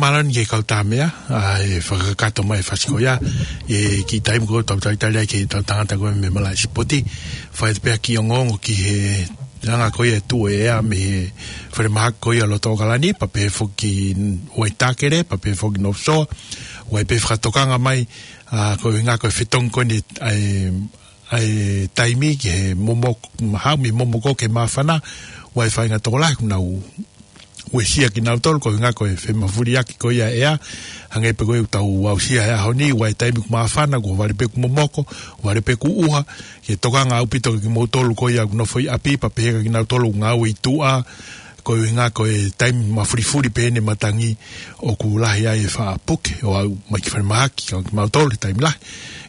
Mālō ʻeni ki he kau Tāmea, ʻa e fakakakato mai e fasi ko ia, ʻi he kiʻi taimi ko ē ʻoku tau talitali ai ki he tau tangata ko ē mei he malaʻe sipoti. Fai atu pē ha kiʻi ongoongo ki he anga ko ia e tuʻu e ʻea mei he falemahaki ko ia ʻa loto ʻAokalani, pea pehē foki Waitakere, pea pehē foki North Shore, ʻoku ʻi ai pē fakatokanga mai, ʻa, ko e ʻuhinga ko e fetongi ko eni, ʻa e, ʻa e taimi ki he momoko, haʻu mei he momoko ki he māfana, ʻoku ʻi ai e faʻahinga tokolahi ʻoku nau uesia kinautolu, ko e ʻuhinga ko e femafuliʻaki ko ia e ʻea, hangē pē ko ia ʻoku tau aʻusia he ʻaho ni, ʻoku ʻi ai e taimi ʻoku māfana, ʻoku vale pē ʻoku momoko, vale pē ʻoku ʻuha, ke tokanga ʻaupito kia kimoutolu ko ia ʻoku nofo ʻi ʻapi, pea pehē kia kinautolu ʻoku ngāue ʻi tuʻa, ko e ʻuhinga ko e taimi mafulifuli pē eni e matangi ʻoku lahi ai e faʻa puke ʻo aʻu mai ki falemahaki, ka kimautolu he taimi lahi.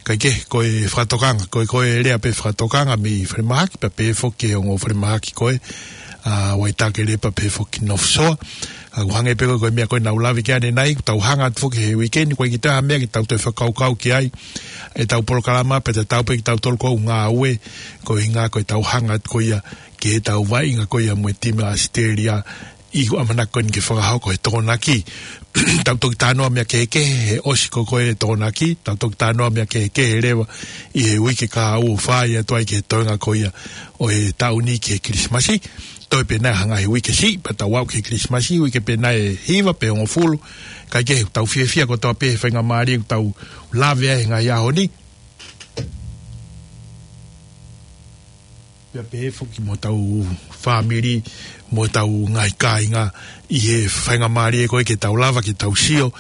Kae kehe, ko e fakatokanga, ko e, ko e lea pē fakatokanga mei falemahaki, pea pehē foki ki he ongo falemahaki ko ē, ʻa, Waitakere pea pehē foki North Shore. ʻA, ʻoku hangē pē ko e, ko e meʻa ko ē naʻa ku lave ki ai ʻanenai, ʻoku tau hanga atu foki he uike ni, ʻoku ʻikai ke toe ʻi ai ha meʻa ke tau toe fakakaukau ki ai, ʻetau polokalama, pea tatau pē kitautolu ʻoku ngāue, ko e ʻuhinga ko ʻetau hanga atu ko ia, ki heʻetau vaʻinga ko ia mo e timi ʻa ʻAositelēlia, ʻi he ʻamanaki ko eni ke fakahoko e Tokonaki. Tau toki talanoa meʻa kehekehe he ʻosi ko ē e Tokonaki, tau toki talanoa meʻa kehekehe leva ʻi he uike kahaʻu ʻo fai atu ai ki he toenga ko ia ʻo e taʻu ni ki he Kilisimasi. Toe pē ʻe hanga he uike siʻi, pea tau aʻu ki he Kilisimasi, uike pē ʻe hiva pe hongofulu. Kae kehe, tau fiefia kotoa pē he faingamālie ʻoku tau lave ai he ngaahi ʻaho ni. Pea pehē foki mo hotau fāmili, mo hotau ngaahi kāinga, ʻi he faingamālie ko ē ke tau lava ke tau sio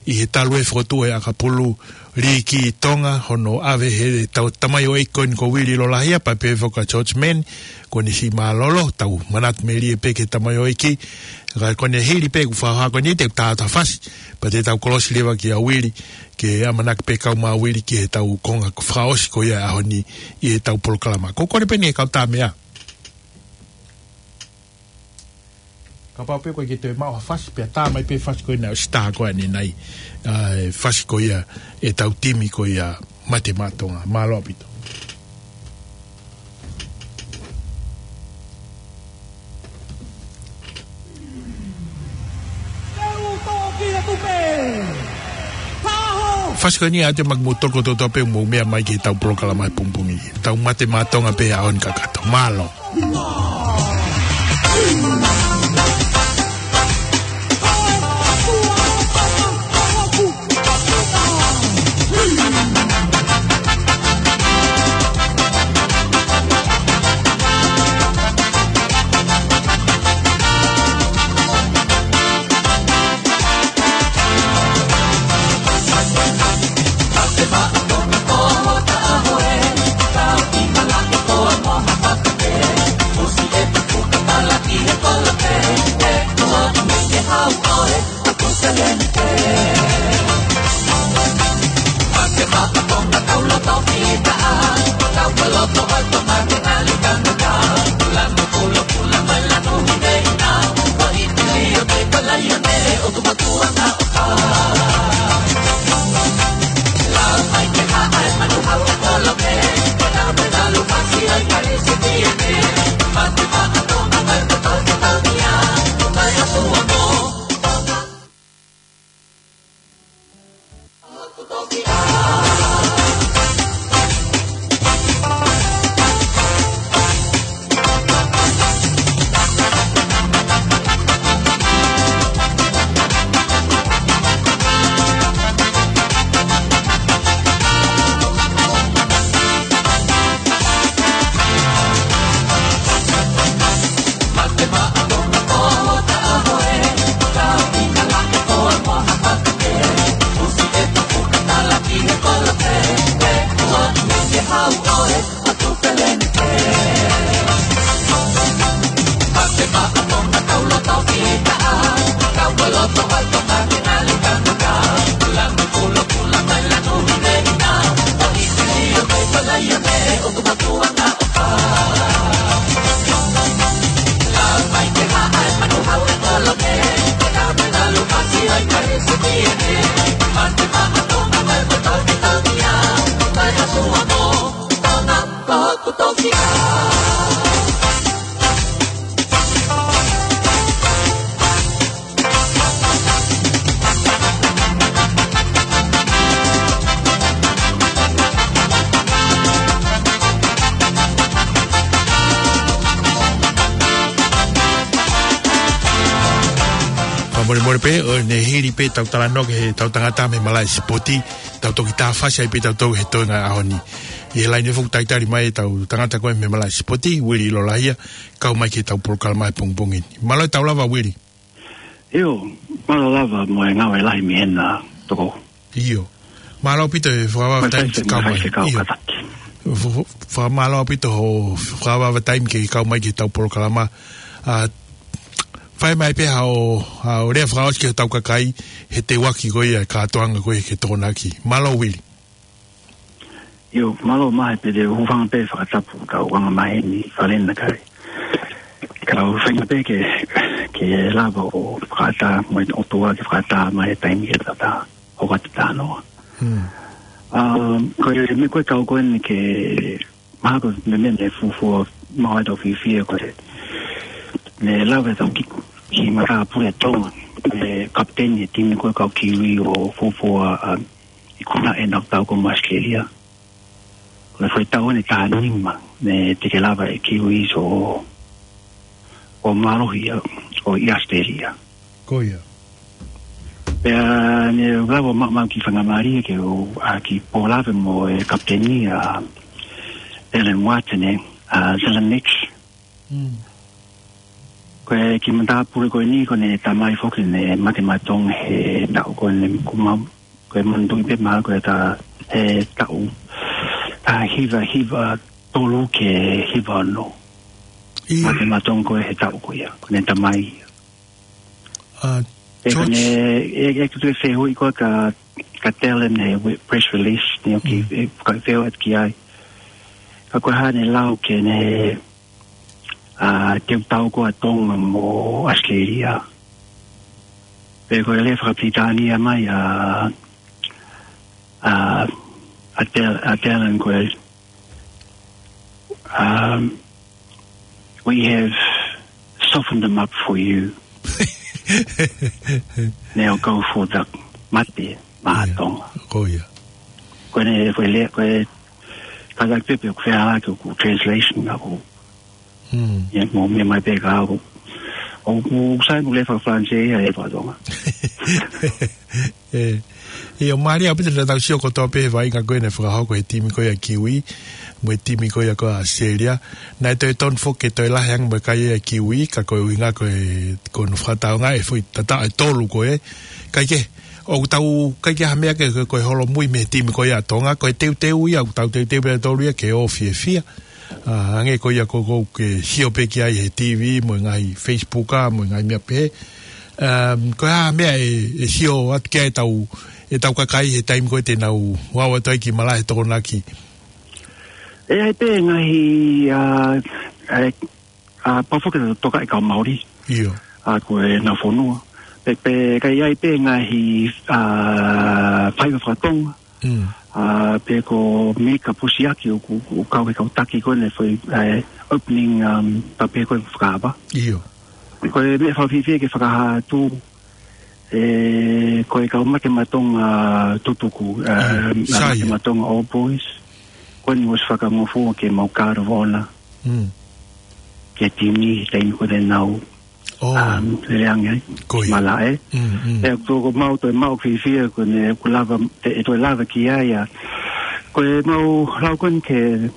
ʻi he talu e fokotuʻu e ʻakapulu liiki Tonga, hono ʻave he tau tamaioʻeiki ko eni ko Uili Lolahia, pea pehē foki ʻa George Mann, ko ʻene siʻi mālōlō, tau manatu melie pē ki he tamaioʻeiki, ka ko ʻene hili pē ʻeku fakahā ko eni te u tā atu ha fasi, pea te tau kolosi leva kia Uili, ke ʻamanaki pē kau mai ʻa Uili ki heʻetau konga fakaʻosi ko ia e ʻaho ni ʻi heʻetau polokalama. Ko e kole pē ʻeni e kau Tāmea. Kapau pē ʻoku ʻikai ke toe maʻu ha fasi, pea tā mai pē fasi ko ena ʻosi tā ko ē ʻanenai. ʻA, e fasi ko ia ʻetau timi ko ia Mate Maʻa Tonga. Mālō ʻaupito. Fasi ko eni ʻa e te maku mo toko toto pe mo meʻa mai ki heʻetau polokalama he pongipongi. Tau Mate Maʻa Tonga pē ʻaho ni kakato. Mālō. Molemole pē, ʻo ne hili pē ʻetau talanoa ki heʻetau tangata mei he malaʻe sipoti, tau toki tāfasi ai pē tautolu he toenga ʻo e ʻaho ni. ʻI he laine foki talitali mai ʻetau tangata ko ē mei he malaʻe sipoti, Uili ʻIlolahia, kau mai ki heʻetau polokalama he pongipongi ni. Mālō e tau lava, Uili. ʻIo, mālō lava mo e ngāue lahi mei hena, Toko. ʻIo. Mālō ʻaupito e fakavavevave taimi ke kau mai. Mālō ʻaupito hoʻo fakavavevave taimi ke kau mai ki heʻetau polokalama. ʻA, fai mai pē haʻo, haʻo lea fakaʻosi ki hotau kakai, he teuaki ko ia e kātoanga ko ia ki he Tokonaki. Mālō, Uili. ʻIo, mālō Mahe, pea te u hūfanga pē fakatapu ki heʻetau anga maheni, Falena kai. Ka u feinga pē ke, ke lava ʻo fakaʻatā, mo e ʻOtua ke fakaʻatā mai e taimi ke tau hoko atu ki he talanoa. Hmm. Um, ko e meʻa ko ē ʻoku ou kole ke mahalo ko e meʻa naʻe fuofua maʻu ai ʻetau fiefia ko e, naʻe lava ʻetau kiʻi, kiʻi matāpule ʻa Tonga, e kapiteni e timi ko ē kau Kiwi ʻo fuofua, um, ikuna ʻenau tau ko ē mo ʻAositelēlia. Ko e foʻi tau ʻeni ʻe taha nima, naʻe teʻeki lava e Kiwis ʻo, ʻo mālohi ʻo, ʻo ʻi ʻAositelēlia. Ko ia. Pea naʻe lava maʻu, maʻu kiʻi faingamālie ke u, ʻa, kiʻi pōlave mo e kapiteni ʻa Alan Watson, ʻa Zelenich. Mm. Ko e kiʻi matāpule ko eni, ko ʻene tamai foki naʻe mate maʻa Tonga he taʻu ko eni ʻoku mau, ko e manatuʻi pē mahalo ko e taʻu, he taʻu, taha hiva hiva tolu ki he hiva ono. ʻIo. Mate maʻa Tonga ko ē he taʻu ko ia, ko ʻene tamai. ʻA, ʻe, ko George. ʻEne, ʻe, ʻe, ko e fehuʻi ko ē ka, ka tell him he we-, press release, ni o ki, Mm. ʻe, ka fehuʻi atu ki ai. Ka ko e hā ʻene lau ki heʻene, ʻa, teu tau ko ē ʻa Tonga mo ʻAositelēlia. Pea ko e lea fakapilitānia mai ʻa, ʻa, ʻa Tal-, ʻa Talon ko e, um, "We have softened them up for you." Now go for the mate, maʻa Tonga. Ko ia. Ko ʻene, ko e lea, ko e kātaki pē pe ʻoku fēfē ʻa e translation ʻaʻaku. Hmm. Ia, mou meʻa mai pē ka ʻoku, ʻoku sai mo e lea faka-Falanisē ia he faka-Tonga. ʻE, ʻio, mālie ʻaupito naʻa tau sio kotoa pē he vaʻinga ko ē naʻe fakahoko he timi ko ia Kiwi, mo e timi ko ia ko ʻAositelēlia. Naʻe toe tonu foki ke toe lahi ange mo e kai ʻa Kiwi, ka ko e ʻuhinga ko e, ko hono fakatāunga e foʻi tata e tolu ko ē. Kae kehe, ʻoku tau, ʻikai ke ʻi ai ha meʻa ke, ko e holomui mei he timi ko ia ʻa Tonga, ko e teuteu ia, ʻoku tau teuteu pē ʻa e tolu ia ke ō fiefia. ʻA, hangē ko ia ko ē ʻoku ke sio pē ki ai he T V, mo e ngaahi Facebook, ʻa, mo e ngaahi meʻa pehē. Um, ko e hā e meʻa ʻe, ʻe sio atu ki ai ʻetau, ʻetau kakai he taimi ko ē te nau ō atu ai ki malaʻe Tokonaki? ʻE ʻi ai pē ngaahi, ʻa, ʻa, ʻa, pau foki ke tokaʻi e kau Māori. ʻIo. ʻA, ko ʻenau fonua. Pea, pea ka ʻi ai pē ngaahi, ʻa, faiva faka-Tonga. Mm. ʻA, pe ko Mika Pusiaki ʻoku, ʻoku kau he kau taki ko ē naʻe fai, ʻa, opening, um, pea pehē ko e fakaava. ʻIo. Ko e meʻa fakafiefia ke fakahā atu, ʻe, ko e kau Mate Maʻa Tonga tutuku, ʻa, Mm. ʻa, Sai. Mate Maʻa Tonga All Boys. Ko eni ʻosi fakangofua ke mau Guard of Honour. Mm. Ki he timi, taimi ko ē te nau Oh. Um, lele ange ai. Ko ia. Malaʻe. Mm, mm. ʻE, ko, ko mau toe mau fiefia, ko ʻene, ʻoku lava, ʻe, ʻe toe lava ki ai ʻa. Ko e mau lau ko eni ke,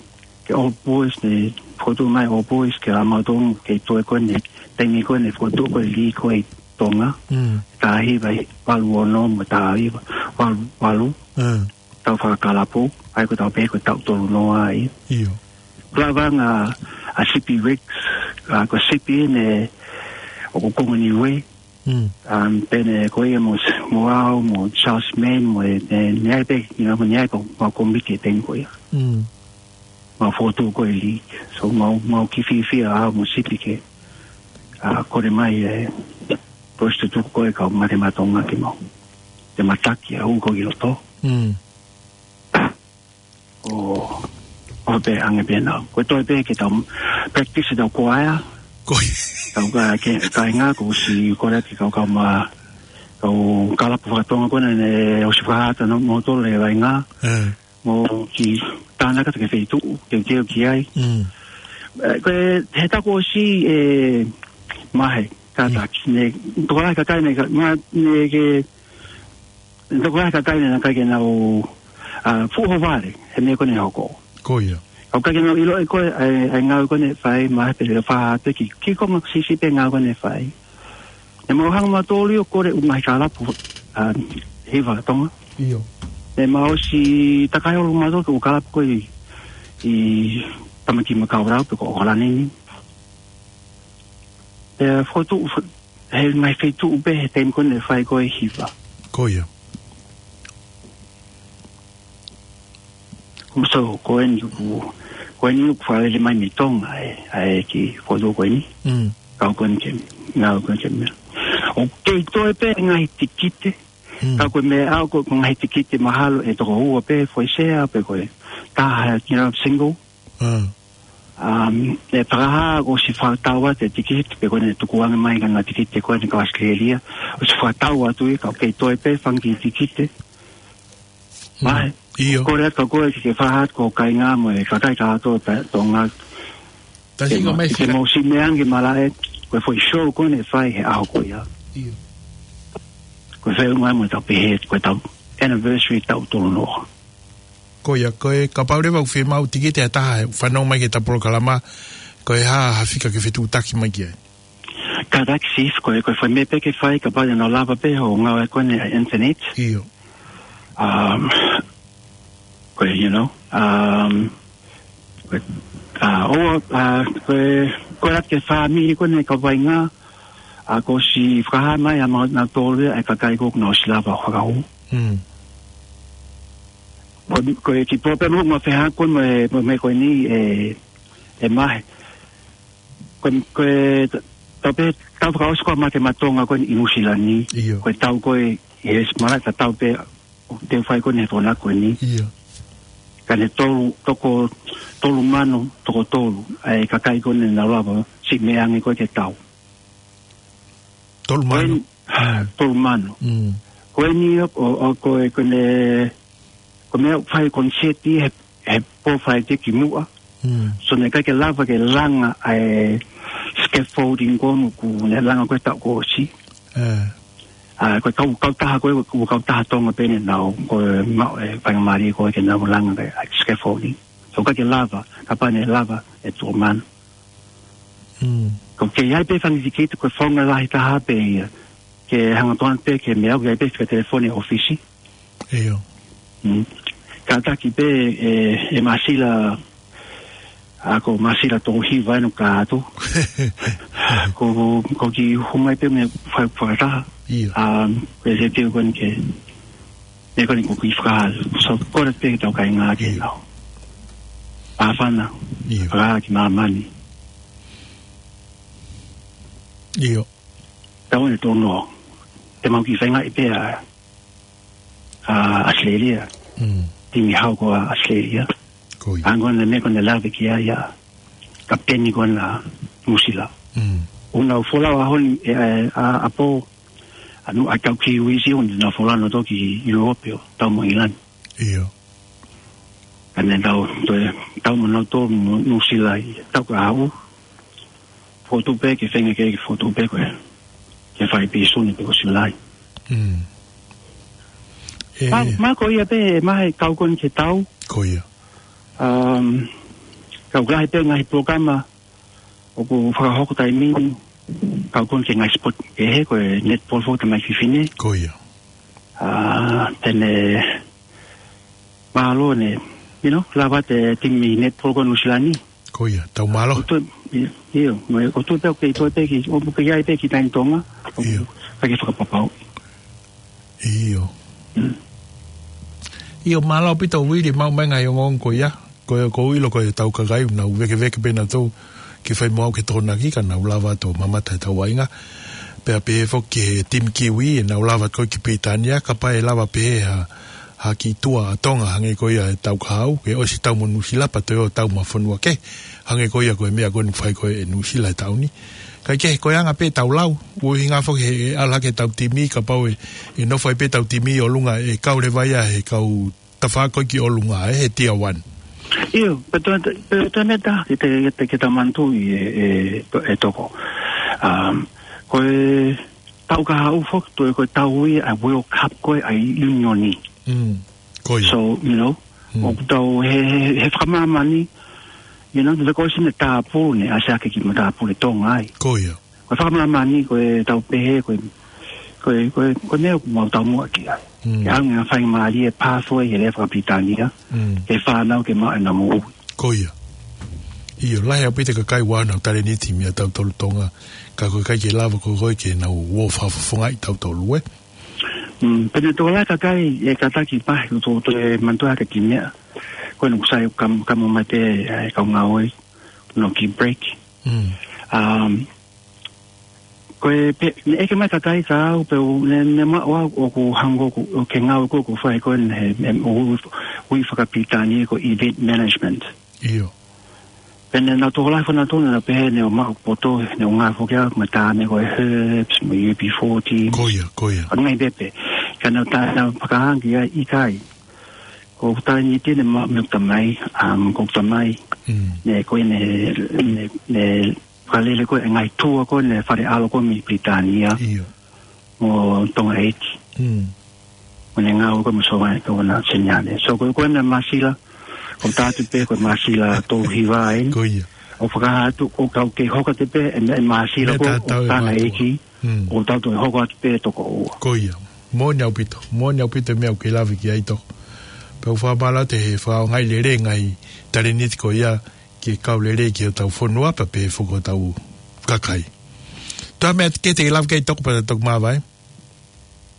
ke All Boys ne, fokotuʻu mai All Boys ke la mau tong, ke toe ko eni, taimi ko eni fokotuʻu ko e lī ko ē ʻi Tonga. Mm. Taha hiva valu ono mo e taha hiva valu valu. Mm. Tau fakakalapu, ʻa ia ko e tau pehē ko e taʻu tolu noa ia. ʻIo. Lava ange ʻa Sipi Rex, ʻa, ko Sipi ne ʻoku Kongo Niue. Mm. Um, pea ne ko ia mo, mo au, mo Charles Mann, mo e, ne, ne ʻi ai pē, you know, mo ne ʻi ai pē, mo e komiti he taimi ko ia. Mm. Mo e fokotuʻu ko ē league. So, mo, mo e kiʻi fiefia ʻa, mo Sipi ke, ʻa, kole mai e, ko e tutuku ko ē kau Mate Maʻa Tonga ke mau. Te mau taki ʻa, ʻo ko ē ki loto. Mm. ʻO, ʻo pehē ange pē nau. Ko e toe pē ke tau practice ʻetau kuaea. Ko ia. Tau ka, ke, kāinga, kuo ʻosi kole atu ki he kau, kau ma, kau kalapu faka-Tonga ko ena ne ʻosi fakahā atu ʻenau motu he vaʻinga. Eh. Mo kiʻi tānaki atu ki he feituʻu, teuteu ki ai. Mm. Eh, ko e, he taʻu kuo ʻosi, ʻe, Mahe, Kātaki, ne, tokolahi kakai ne, ka, ma, ne ke, tokolahi kakai ne, naʻe ʻikai ke nau, ʻa, fuʻu ʻohovale he meʻa ko eni ʻe hoko. Ko ia. Ka ʻoku ʻikai ke nau ʻilo ʻe koe, ʻa e, ʻa e ngāue ko eni ʻe fai, mahalo pē ʻe fai ha pē ki, kiʻi konga siʻisiʻi pē ngāue ko eni ʻe fai. Ne mau hanga mautolu ʻo kole ʻū ngaahi kālapu, ʻa, hiva Tonga. ʻIo. Ne mau ʻosi takai holo mautolu ki he kālapu ko ē ʻi, ʻi Tāmaki Makaurau pe ko ʻAokalani ni. Pea fokotuʻu, fo-, he ngaahi feituʻu pē he taimi ko eni ʻe fai ko ē hiva. Ko ia. Ko so, ko eni ʻoku, ko eni ʻoku fakalele mai mei Tonga, ʻa e, ʻa e kiʻi fokotuʻu ko eni. Mm. Kau ko eni ke, ngāue ko eni ke meʻa. ʻOku kei toe pē ngaahi tikite, Mm. ka ko e meʻa ko, ko e ngaahi tikite mahalo ʻe toko ua pē foʻi sea pe ko e taha, you know, single. Ah. Um, ʻe fakahā kuo ʻosi fakatau atu e tikite pe ko eni tukuange mai ka ngaahi tikite ko eni ka ʻAositelēlia. ʻOsi fakatau atu ia ka ʻoku kei toe pē fanga kiʻi tikite. Mm. Mai. ʻIo. Kole atu ka ko e ke fakahā atu ki ho kāinga mo e kakai kātoa ʻo Tonga. Tasi Ke ko ma-, mai ke fika- mau siʻi meʻa ange ke malaʻe, ko e foʻi show ko eni ʻe fai he ʻaho ko ia. ʻIo. Ko e feʻunga mo e tau pehē, ko e tau anniversary taʻu tolu noa. Ko ia, ko e kapau leva ʻoku fiemaʻu tikite ʻe ha taha, fanongo mai ki heʻeta polokalama, ko e hā ha fika ke fetuʻutaki mai ki ai. Kātaki Steve, ko e, ko e fai meʻa pē ke fai, kapau ʻe nau lava pē hoʻo ngāue ko eni ʻa e internet. ʻIo. Um, ko e, you know, um, ko e, uh, ʻo, uh, ko e, ko e ʻalu ki he fāmili ko eni ka vainga, ʻa, kuo ʻosi fakahā mai ʻa mautolu ʻa e kakai ko ē kuo nau ʻosi lava ʻo fakahū. Mm. Ko, ko e kiʻi pōpē mo, mo fehākon mo e, mo e meʻa ko eni ʻe, ʻe Mahe. Ko, ko e, ta-, tau pē, tau fakaʻosi ko ē ʻa Mate Matonga ko eni ʻi Nuʻusila ni. ʻIo. Ko e tau ko ē, ʻi he malaʻe tatau pē, ʻoku te fai ko eni he tōnaki ko eni. ʻIo. Ka ne tolu, toko tolu mano, toko tolu, ʻa e kakai ko eni naʻa nau lava, siʻi meʻa ange ko ē ke tau. Tolu mano. Ko eni, Mm. tolu mano. Mm. Ko eni ʻo, ʻo, ʻo, ko e, ko eni, ko e meʻa ʻoku fai koniseti he, he pō fai te ki muʻa. Mm. So naʻe ʻikai ke lava ke langa ʻa e scaffolding ko eni ʻoku ne langa ko ē taʻu kuo ʻosi. Eh. ʻA, ko e kau, kautaha ko ē, ko e kautaha Tonga pē ʻe nau, ko e ma-, e faingamālie ko ē ke nau langa ʻa e scaffolding. So ʻikai ke lava, kapau naʻe lava ʻe tolu mano. Mm. Ko e kei ʻi ai pē fanga tikite ko e founga lahi taha pē ia. Ke hanga atu pē ke meʻa, ʻoku ʻi ai pē fika telefoni ʻofisi. ʻIo. Mm. Kātaki pē ʻe, ʻe Masila, ʻa ko Masila Tohiva ʻoku ʻikai atu. Ko, ko e kiʻi hū mai pē mo e fai fakataha. ʻIo. Um, ko e se teu ko eni ke, meʻa ko eni ko e kiʻi fakahā. So, kole pē ki he tau kāinga ke ʻIo. nau. Pāfana. ʻIo. Fakahā ki māmani. ʻIo. Tau ʻe tolu noa. Te mau kiʻi feingaʻi pē ʻa, ʻa ʻAositelēlia. Mm. Timi hau ko ē ʻa ʻAositelēlia. Ko ia. Hangē ko e meʻa ko eni naʻe lave ki ai ʻa kapiteni ko eni ʻa Nuʻusila. Mm. ʻOku nau folau ʻaho ni, ʻe, ʻa, ʻa, ʻapō, ʻa Nu-, ʻa e kau Kiwi siʻi ʻoku nau folau nautolu ki ʻIulope ʻo tau mo ʻIngilani. ʻIo. Ka ne tau, toe, tau mo nautolu mo Nuʻusila ʻi he taʻu kahaʻu. Fotu pē ke feinga ke, ke fotu pē ko ē. Ke fai pē ʻi Sune pe ko Siulai. Mm. ʻE. Ma, ma ko ia pē, ma he kau ko eni ke tau. Ko ia. Um, kau lahi pē ngaahi polokalama ʻoku fakahoko taimi ni, kau ko eni ke ngaahi sport kehe, ko e netball foki tamai fefine. Ko ia. Ah, te ne mālō ne, you know, lava ʻa e timi netball ko Nuʻusila ni. Ko ia, tau mālō. ʻOku toe, ʻio, ʻio, mo e, ʻoku toe pē ʻoku kei toe pē ki, ʻoku kei ʻi ai pē ki tahi ʻi Tonga, ʻoku ʻIo. ʻikai ke fakapapau. ʻIo. Mm. ʻIo, mālō ʻaupito Uili, maʻu mai ngaahi ongoongo ko ia. Ko e, ʻoku ou ʻilo ko e tau kakai, nau vēkeveke pē nautolu, ke fai mo au ke tokonaki, ka nau lava atu ʻo mamata he tau vaʻinga. Pea pehē foki ki he timi Kiwi, ʻe nau lava ko ē ki Pilitānia, kapau ʻe lava pē ha, ha kiʻi tua ʻa Tonga, hangē ko ia he taʻu kahaʻu, ke ʻosi tau mo Nuʻusila, pea toe ō tau mo e fonua kehe, hangē ko ia ko e meʻa ko eni ʻoku fai ko ē ʻe Nuʻusila he taʻu ni. Kae kehe, ko e anga pē ʻetau lau, ʻuhinga foki he, ʻe ala ke tau timi, kapau ʻe, ʻe nofo ai pē ʻetau timi ʻi ʻolunga, ʻe kau leva ia he kau tafaʻaki ko ē ki ʻolunga, ʻe, he tier one. ʻIo, pea toe, pea toe meʻa ʻe taha, ke te, ke te, ke tau manatuʻi ʻe, ʻe, ʻe Toko. Um, Ko e taʻu kahaʻu foki, toe ko e taʻu ia ʻa e World Cup ko ē ʻa e ʻiunioni. Mm. Ko ia. So, you know, Mm. ʻoku tau he, he, he fakamāmani, you know, te ko sine tāpuni, ʻa sia ke ki mo tāpuni Tonga ai. Ko ia. Ko e fakamāmani, ko e tau pehē, ko e, ko e, ko e, ko e meʻa ʻoku mau taumuʻa ki ai. Mm. Ke ʻalu ngā fai mālie pathway he lea fakapilitānia, Mm. ke fānau ke maʻu ʻenau moʻui. Ko ia. ʻIo, lahi ʻaupito e kakai ʻoku ʻi ai honau talēniti mei he tautolu Tonga, ka ko e ʻikai ke lava ko ē ke nau ō fakafofongaʻi tautolu, ē? Mm, pea ne tokolahi e kakai ʻe kātaki pahi, ʻo tō, tō e manatuʻi hake ki meʻa. Ko ena ʻoku sai kam-, kamo mai pē, ʻe, kau ngāue, no ki break. Mm. Um, ko e pē, ne ʻeke mai e kakai kia au, pea u, ne, ne maʻu au ʻoku hangē ʻoku, ʻoku ke ngāue ko ē ʻoku fai ko ē he, he, ui, ui fakapilitānia ko e event management. ʻIo. Pea ne nau tokolahi fana tonu na pehē ne ʻomai ʻo poto, ne ʻomai foki au, mo e taʻane ko e Herbs, mo e U B forty. Ko ia, ko ia. ʻA e ngaahi pepe. Ka nau tā, nau fakahā ange ki ai ʻikai. Ko ʻeku talēniti ne maʻu mei heʻeku tamai, um, ko ʻeku tamai. Mm. Ne ko ē ne, ne, ne fakalele ko ē e ngaahi tour ko ē ne fale ʻalo ko ē mei Pilitānia. ʻIo. Mo Tonga ʻEiki. Mm. Mo ne ngāue ko ē mo Sōvana, Sōvana Seniane. So ko, ko ena Māsila, ko e taʻu atu pē ko e Māsila tolu hiva eni. Ko ia. ʻO fakahā atu, ʻoku tau kei hoko atu pē, e, e Māsila Meʻa ko, tatau ʻo e Tonga mātuʻa. ʻEiki, Mm. ʻoku tau toe hoko atu pē toko ua. Ko ia. Moʻoni ʻaupito, moʻoni ʻaupito e meʻa ʻoku ke lave ki ai Toko. Pea u fakamālō atu he fakaʻaongaʻi lelei e ngaahi talēniti ko ia ke kau lelei ki hotau fonua pea pehē foki ki hotau kakai. Toe ʻi ai ha meʻa kehe te ke lave ki ai Toko pea toki māvae?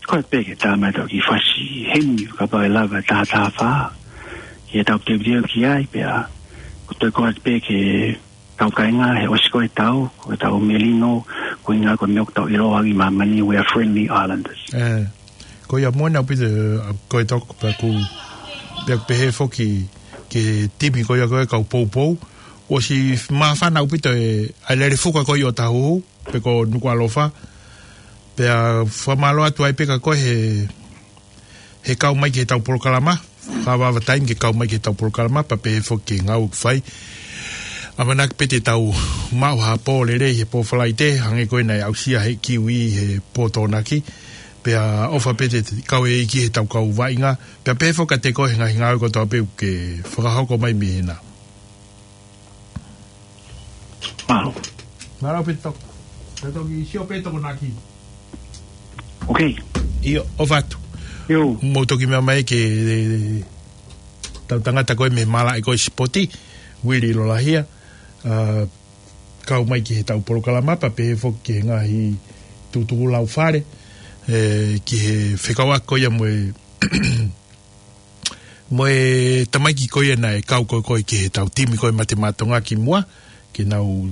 Ko e pē ke tā mai ʻetau kiʻi fasi heni, kapau ʻe lava ʻe taha taha fā. Ke tau teuteu ki ai, pea ko e toe ko e pē ke kau kāinga he ʻosi ko ē e taʻu, ko ʻetau melino, ko e ʻuhinga ko e meʻa ʻoku tau ʻiloa ʻi māmani, we are friendly islanders. ʻE, ko ia moʻoni ʻaupito, ʻa, ko e Toko pea ʻoku, pea ʻoku pehē foki ki he timi ko ia ko e kau poupou. ʻOsi māfana ʻaupito e, ʻa e lele fuka ko ia ʻo Tahuhu, pe ko Nukuʻalofa. Pea fakamālō atu ai pē kia koe he, he kau mai ki heʻetau polokalama. Fakavavevave taimi ke kau mai ki heʻetau polokalama, pea pehē foki ki he ngāue ʻoku fai. ʻAmanaki pē te tau maʻu ha pō lelei he pō Falaite, hangē ko ē naʻe aʻusia ʻe he Kiwi he pō Tokonaki. Pea ʻofa pē te kau e ʻEiki heʻetau kau vaʻinga. Pea pehē foki kiate koe he ngaahi ngāue kotoa pē ʻoku ke fakahoko mai mei hena. Mālō. Mālō pē Toko. Pea toki sio pē Tokonaki. Ok. ʻIo, ʻofa atu. ʻIo. Mou toki meʻa mai ki he, e, tau tangata ko ē mei he malaʻe ko ē sipoti, Uili Lolahia, ʻa, kau mai ki heʻetau polokalama, pea pehē foki ki he ngaahi tukutuku laufale, ʻe, ki he fekauʻaki ko ia mo e mo e tamaiki ko ia naʻe kau ko ē ki heʻetau timi ko ē Mate Maʻa Tonga kimuʻa, ke nau,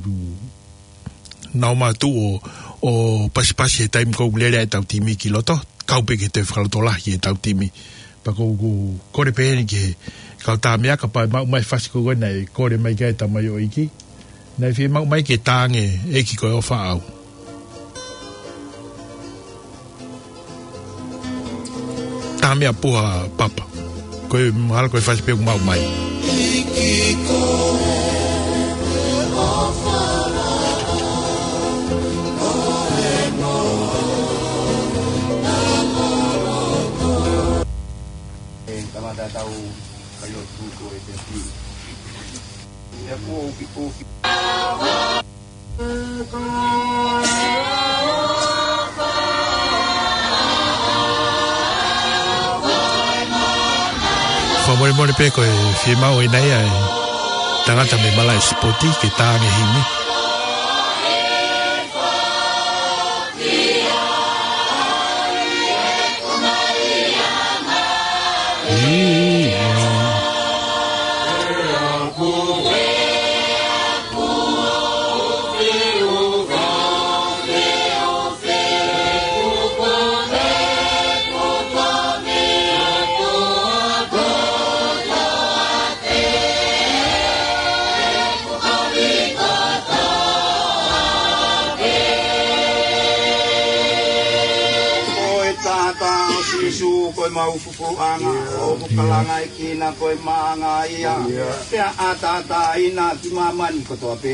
nau mātuʻu ʻo, ʻo pasipasi he taimi ko ē ʻoku lele ai ʻetau timi ki loto, kau pē ki he toe fakalotolahi ʻetau timi. Pea ʻoku ou kole pē heni ki he kau tā meʻa kapau ʻe maʻu mai e fasi ko ē naʻe kole mai ki ai e tamaioʻeiki. Naʻe fiemaʻu mai ke tā ange ʻEiki ko e ʻofa ʻaʻau. Tā meʻa puha papa. Ko e mahalo ko e fasi pē ʻoku maʻu mai. E, kamata tau kai o tuku e te pi. E pu o ki, o ki. Fakamolemole pē ko e fiemaʻu ʻe naʻa ʻi ai e tangata mei he malaʻe sipoti ke tā ange e himi. Ko e taʻataʻa ʻo Sīsū, ko e mau fufuluʻanga, ʻoku kalanga ʻi kina ko e maʻanga ia. Pea ʻataʻatā ʻi māmani kotoa pē.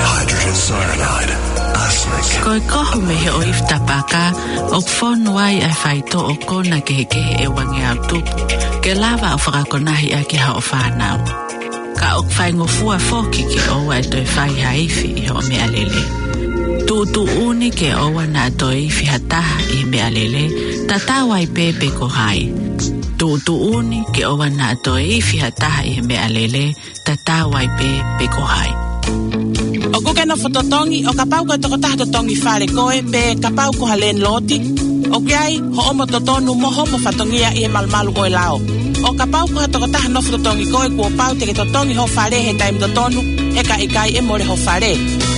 Hydrogen cyanide, arsenic. Ko e kohu mei he ʻoifi tapaka ʻoku fonu ai ʻa e faitoʻo kona kehekehe ʻe uangeau tupu ke lava ʻo fakakonahi ʻaki haʻo fānau. Ka ʻoku faingofua foki ke ʻoua ʻe toe fai ha ifi ʻi hoʻo meʻalele. Tuʻutuʻuni ke ʻoua naʻa toe ifi ha taha ʻi he meʻalele, tatau ai pē pe ko hai. Tuʻutuʻuni ke ʻoua naʻa toe ifi ha taha ʻi he meʻalele, tatau ai pē pe ko hai. ʻOku ke nofo totongi, ʻo kapau ko e tokotaha totongi fale koe, pe kapau ko ha landlord, ʻoku ʻi ai hoʻomo totonu mo hoʻomo fatongia ʻi he malumalu ʻo e lao. ʻO kapau ko ha tokotaha nofo totongi koe, kuo pau te ke totongi ho fale he taimi totonu, he ka ʻikai ʻe mole ho fale.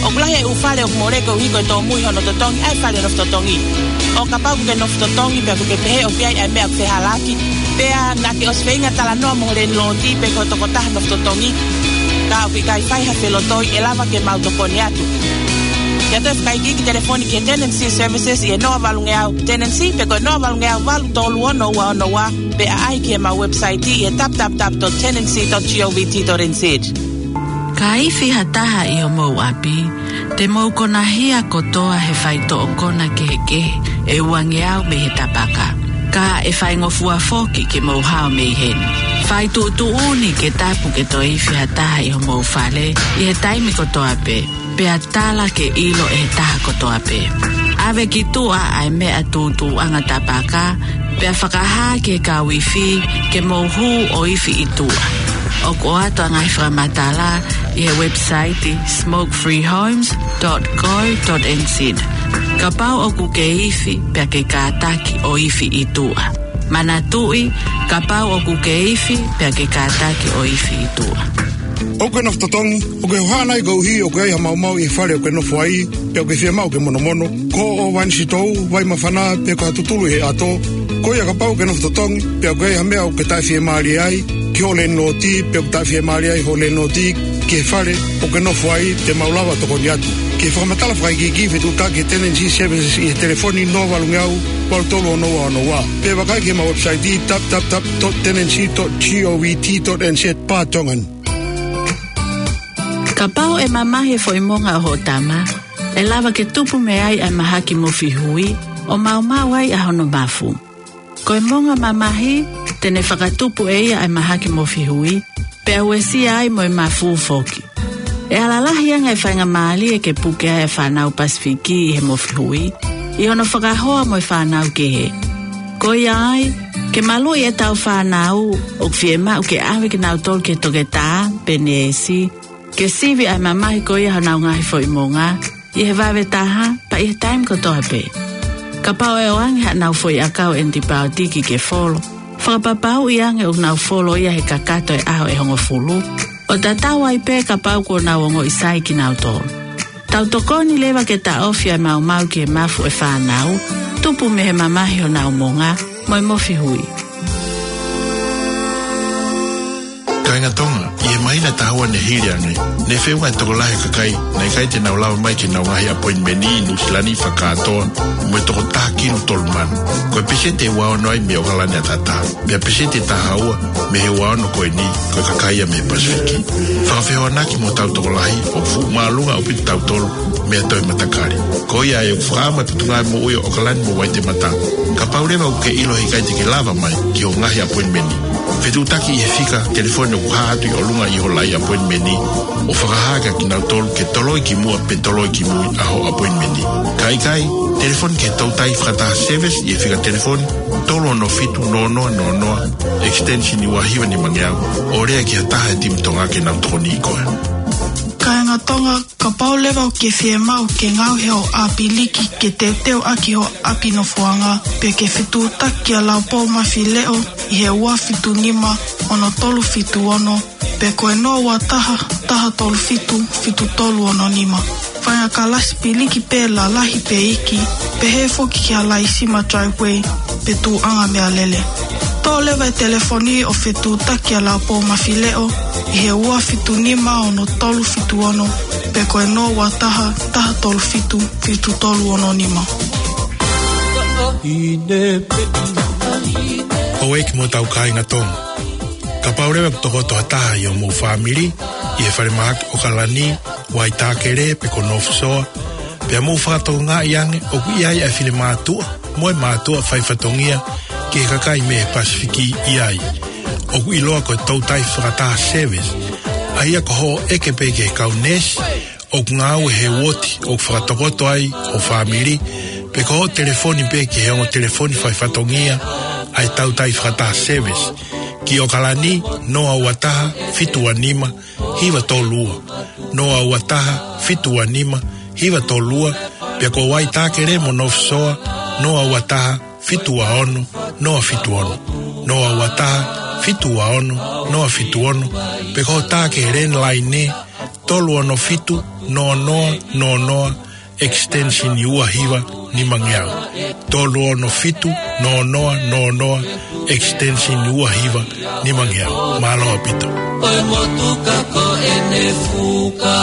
ʻOku lahi e ʻū fale ʻoku mole koeʻuhi ko e tōmui hono totongi ʻa e fale nofo totongi. ʻO kapau ʻoku ke nofo totongi pea ʻoku ke pehē ʻoku ʻi ai ʻa e meʻa ʻoku fehālaaki, pea naʻa ke ʻosi feinga talanoa mo ho landlord pe ko e tokotaha nofo totongi, ka ʻoku ʻikai fai ha felotoi, ʻe lava ke mau tokoni atu. Ke ʻoatu e fakaikiiki telefoni ki he Tenancy Services ʻi he noa valungeau tenancy pe ko e noa valungeau valu tolu ono ua ono ua, pe ʻaʻahi ki heʻemau website ʻi he www dot tenancy dot govt dot nz. Ka ifi ha taha ʻi homou ʻapi, te mou konahia kotoa he faitoʻo kona kehekehe ʻe uangeau mei he tapaka. Ka ʻe faingofua foki ke mou hao mei heni. Fai tuʻutuʻuni ke tapu ke toe ifi ha taha ʻi homou fale ʻi he taimi kotoa pē, pea tala ke ʻilo ʻe he taha kotoa pē. ʻAve ki tuʻa ʻa e meʻa tuʻutuʻuʻanga tapaka, pea fakahā ki he kau ifi ke mou hū ʻo ifi ʻi tuʻa. ʻOku ʻoatu ʻa e ngaahi fakamatala ʻi he website smoke free homes dot co dot nz. Kapau ʻoku ke ifi, pea ke kātaki ʻo ifi ʻi tuʻa. Manatuʻi, kapau ʻoku ke ifi, pea ke kātaki ʻo ifi ʻi tuʻa. ʻOku ke nofo totongi, ʻoku ke hohaʻa nai koeʻuhi ʻoku ʻi ai ha maumau ʻi he fale ʻoku ke nofo ai, pea ʻoku ke fiemaʻu ke monomono? Ko ʻo Vanisitou, Vaimafana, pe ko ha tutulu ʻi he ʻato. Ko ia kapau ʻoku ke nofo totongi, pea ʻoku ʻi ai ha meʻa ʻoku ke taʻefiemālie ai ki ho landlord, pe ʻoku taʻefiemālie ai ho landlord ki he fale ʻoku ke nofo ai, te mau lava tokoni atu. Ke fakamatala fakaikiiki, fetuʻutaki he Tenancy Services ʻi he telefoni noa valungeau valu tolu ono ua ono ua. Pe vakai ki heʻemau website www dot tenancy dot govt dot nz barra Tongan. Kapau ʻe mamahi e foʻi monga ʻo hoʻo tama, ʻe lava ke tupu mei ai ʻa e mahaki mofi hui, ʻo maumau ai ʻa hono mafu. Ko e monga mamahi, te ne fakatupu ʻe ia ʻa e mahaki mofi hui, pea uesia ai mo e mafu foki. ʻE alalahi ange e faingamālie ke puke ai e fānau Pasifiki ʻi he mofi hui, ʻi hono fakahoa mo e fānau kehe. Ko ia ai, ke maluʻi ʻetau fānau, ʻoku fiemaʻu ke ʻave kinautolu ki he toketā pe neesi, ke sivi ʻa e mamahi ko ia honau ngaahi foʻi monga, ʻi he vave taha, pea ʻi he taimi kotoa pē. Kapau ʻe ʻoange haʻanau foʻi ʻakau ʻenipaotiki ke folo, fakapapauʻi ange ʻoku nau folo ia he kakato e ʻaho ʻe hongofulu, ʻo tatau ai pē kapau kuo nau ongoʻi sai kinautolu. Tau tokoni leva ke taʻofi ʻa e maumau ki he mafu ʻo e fānau, tupu mei he mamahi honau monga, mo e mofi hui. Kāinga Tonga, ʻi he māhina ʻe taha ua ne hili ange, ne feʻunga e tokolahi e kakai naʻe ʻikai te nau lava mai ki heʻenau ngaahi appointment ʻi Nuʻu Sila ni fakakātoa mo e tokotaha kinu tolu mano. Ko e peseti ʻe ua ono ai mei ʻOkalani ʻAtatā, pea peseti ʻe taha ua mei he ua ono ko eni ko e kakai ia mei Pasifiki. Fakafehoanaki mo hotau tokolahi, ʻoku fuʻu māʻolunga ʻaupito tautolu mei ha toe matakali. Ko ia ai ʻoku fakaʻamu e Potungāue Moʻui ʻo ʻOkalani mo Waitemata, kapau leva ʻoku ke ʻilo he ʻikai te ke lava mai ki hoʻo ngaahi appointment, fetuʻutaki ʻi he fika telefoni ʻoku hā atu ʻi ʻolunga ʻi hoʻo laʻi appointment, ʻo fakahā kia kinautolu ke toloi ki muʻa pe toloi ki mui ʻa hoʻo appointment. Ka ʻikai, telefoni ki he toutai fakataha service ʻi he fika telefoni tolu ono fitu noa noa noa noa, extension ua hiva nima ngeau, ʻo lea ki ha taha he timi Tonga ke nau tokoniʻi koe. Kāinga Tonga, kapau leva ʻoku ke fiemaʻu ke ngaohi hoʻo ʻāpiliki ke teuteu ʻaki hoʻo ʻapi nofoʻanga, pe ke fetuʻutaki kia Laupou Mafileʻo ʻi he ua fitu nima ono tolu fitu ono, pe ko e noa ua taha, taha tolu fitu, fitu tolu ono nima. Faʻahinga kalasi piliki pē lalahi pe iiki, pehē foki ki ha laisima driveway pe tuʻuʻanga meʻalele. Toʻo leva e telefoni ʻo fetuʻutaki kia Laupou Mafileʻo ʻi he ua fitu nima ono tolu fitu ono, pe ko e noa ua taha, taha tolu fitu, fitu tolu ono nima. Houʻeiki mo hotau kāinga Tonga. Kapau leva ʻoku tokoto ha taha ʻi hoʻomou fāmili ʻi he falemahaki ʻOkalani, Waitākele pe ko North Shore, pea mou fakatokangaʻi ange ʻoku ʻi ai ʻa e finemātuʻa mo e mātuʻa faifatongia ki he kakai mei he Pasifiki ʻi ai. ʻOku ʻiloa ko e Toutai Fakataha Service, ʻa ia ko hoʻo ʻeke pē ki he kau neesi ʻoku ngāue he uooti ʻoku fakatokoto ai ho fāmili, pe ko hoʻo telefoni pē ki he ongo telefoni faifatongia ʻa e Toutai Fakataha Service, ki ʻOkalani, noa ua taha, fitu ua nima, hiva tolu ua, noa ua taha, fitu ua nima, hiva tolu ua, pea ko Waitākele mo North Shore, noa ua taha, fitu ua ono, noa fitu ono, noa ua taha, fitu ua ono, noa fitu ono, pe ko e tā ki he landline, tolu ono fitu, noa noa noa noa, extension ua hiva nima ngeau. Tolu ono fitu, noa noa noa noa, extension ua hiva nima ngeau. Mālō ʻaupito. Ko e motuka ko ʻene fuka.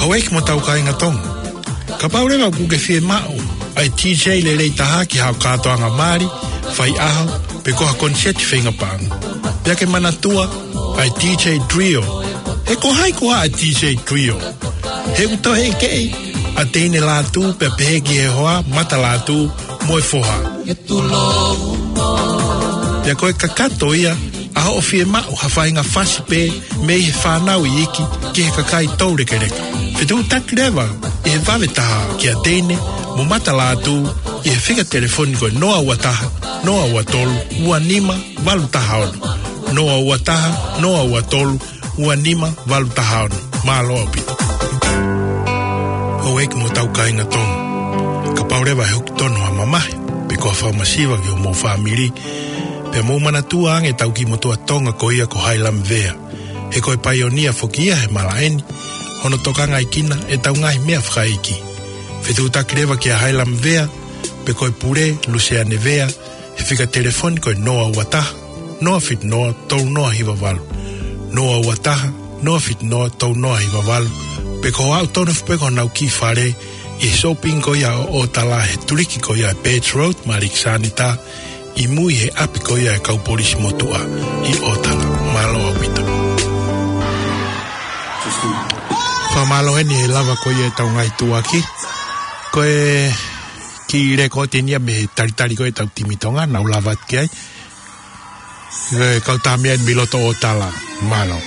Houʻeiki mo hotau kāinga Tonga. Kapau leva ʻoku ke fiemaʻu ʻa e DJ lelei taha ki haʻo kātoanga mali, faiʻaho, pe ko ha koniseti feinga paʻanga, pea ke manatua ʻa e DJ Trio. He ko hai koā ʻa e DJ Trio? He ʻoku toe ʻeke ʻa Teine Lātū pea pehē ki he hoa, Mata Lātū mo e foha. Pea ko e kakato ia ʻa hoʻo fiemaʻu ha faʻahinga fasi pē mei he fānau iiki ki he kakai toulekeleka. Fetuʻutaki leva ʻi he vave taha kia Teine mo Mata Lātū ʻi he fika telefoni ko e noa ua taha, noa ua tolu, ua nima valu taha ono. Noa ua taha, noa ua tolu, ua nima valu taha ono. Mālō ʻaupito. Houʻeiki mo hotau kāinga Tonga. Kapau leva ʻe hoko tonu ha mamahi pe ko ha fakamasiva ki hoʻomou fāmili, pea mou manatua ange ʻetau kiʻi motuʻa Tonga ko ia ko Hailami Vea. He ko e paionia foki ia he malaʻe ni, hono tokangaʻi kinautolu ʻe heʻetau ngaahi meʻa fakaikiiki. Fetuʻutaki leva kia Hailami Vea, pe ko e pule, Luseane Vea, he fika telefoni ko e noa ua taha, noa fitu noa, tolu noa hiva valu. Noa ua taha, noa fitu noa, tolu noa hiva valu. Pe ko e aʻu tonu foki pē ki honau kiʻi fale ʻi he shopping ko ia ʻo ʻOtala, he tuliki ko ia ʻa e Birch Road, Maliki Sanita, ʻi mui he ʻapi ko ia ʻa e kau polisi motuʻa ʻi ʻOtala. Mālō ʻaupito. Fakamālō heni he lava ko ia ʻetau ngaahi tuʻuaki. Ko e kiʻi lēkooti eni ia mei he talitali ko ia ʻetau timi Tonga, nau lava atu ki ai. Ko e kau tamaiki eni mei loto ʻOtala. Mālō.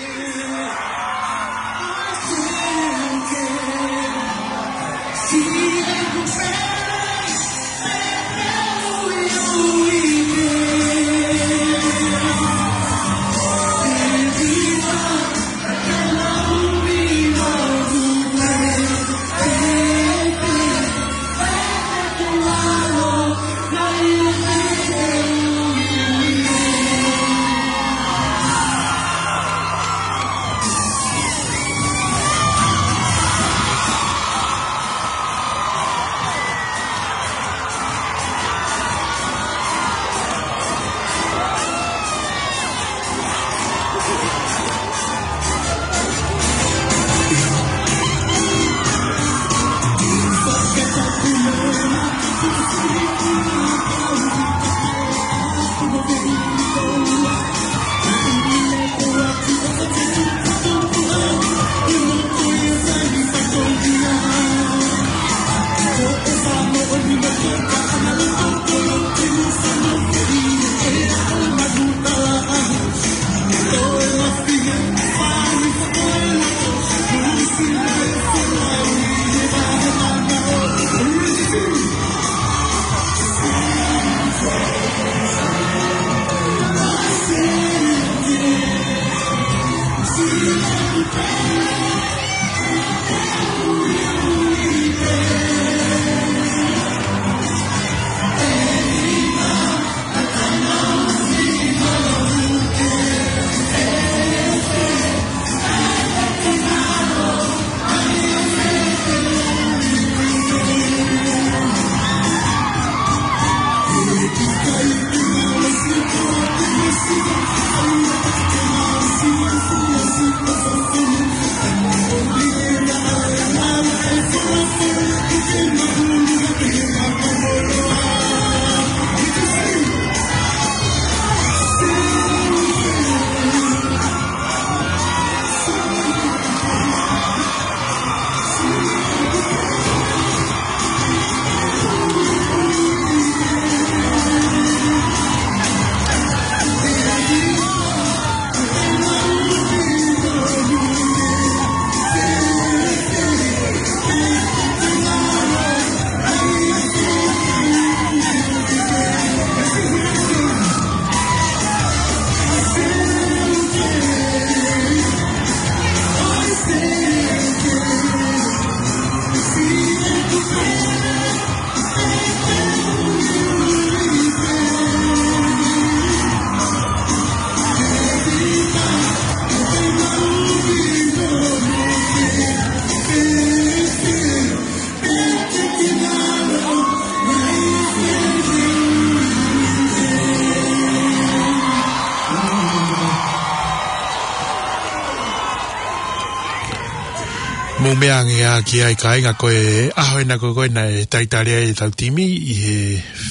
Mou meʻa ange ā ki ai kāinga, ko e ʻaho ena ko ē naʻe talitali ai ʻetau timi ʻi he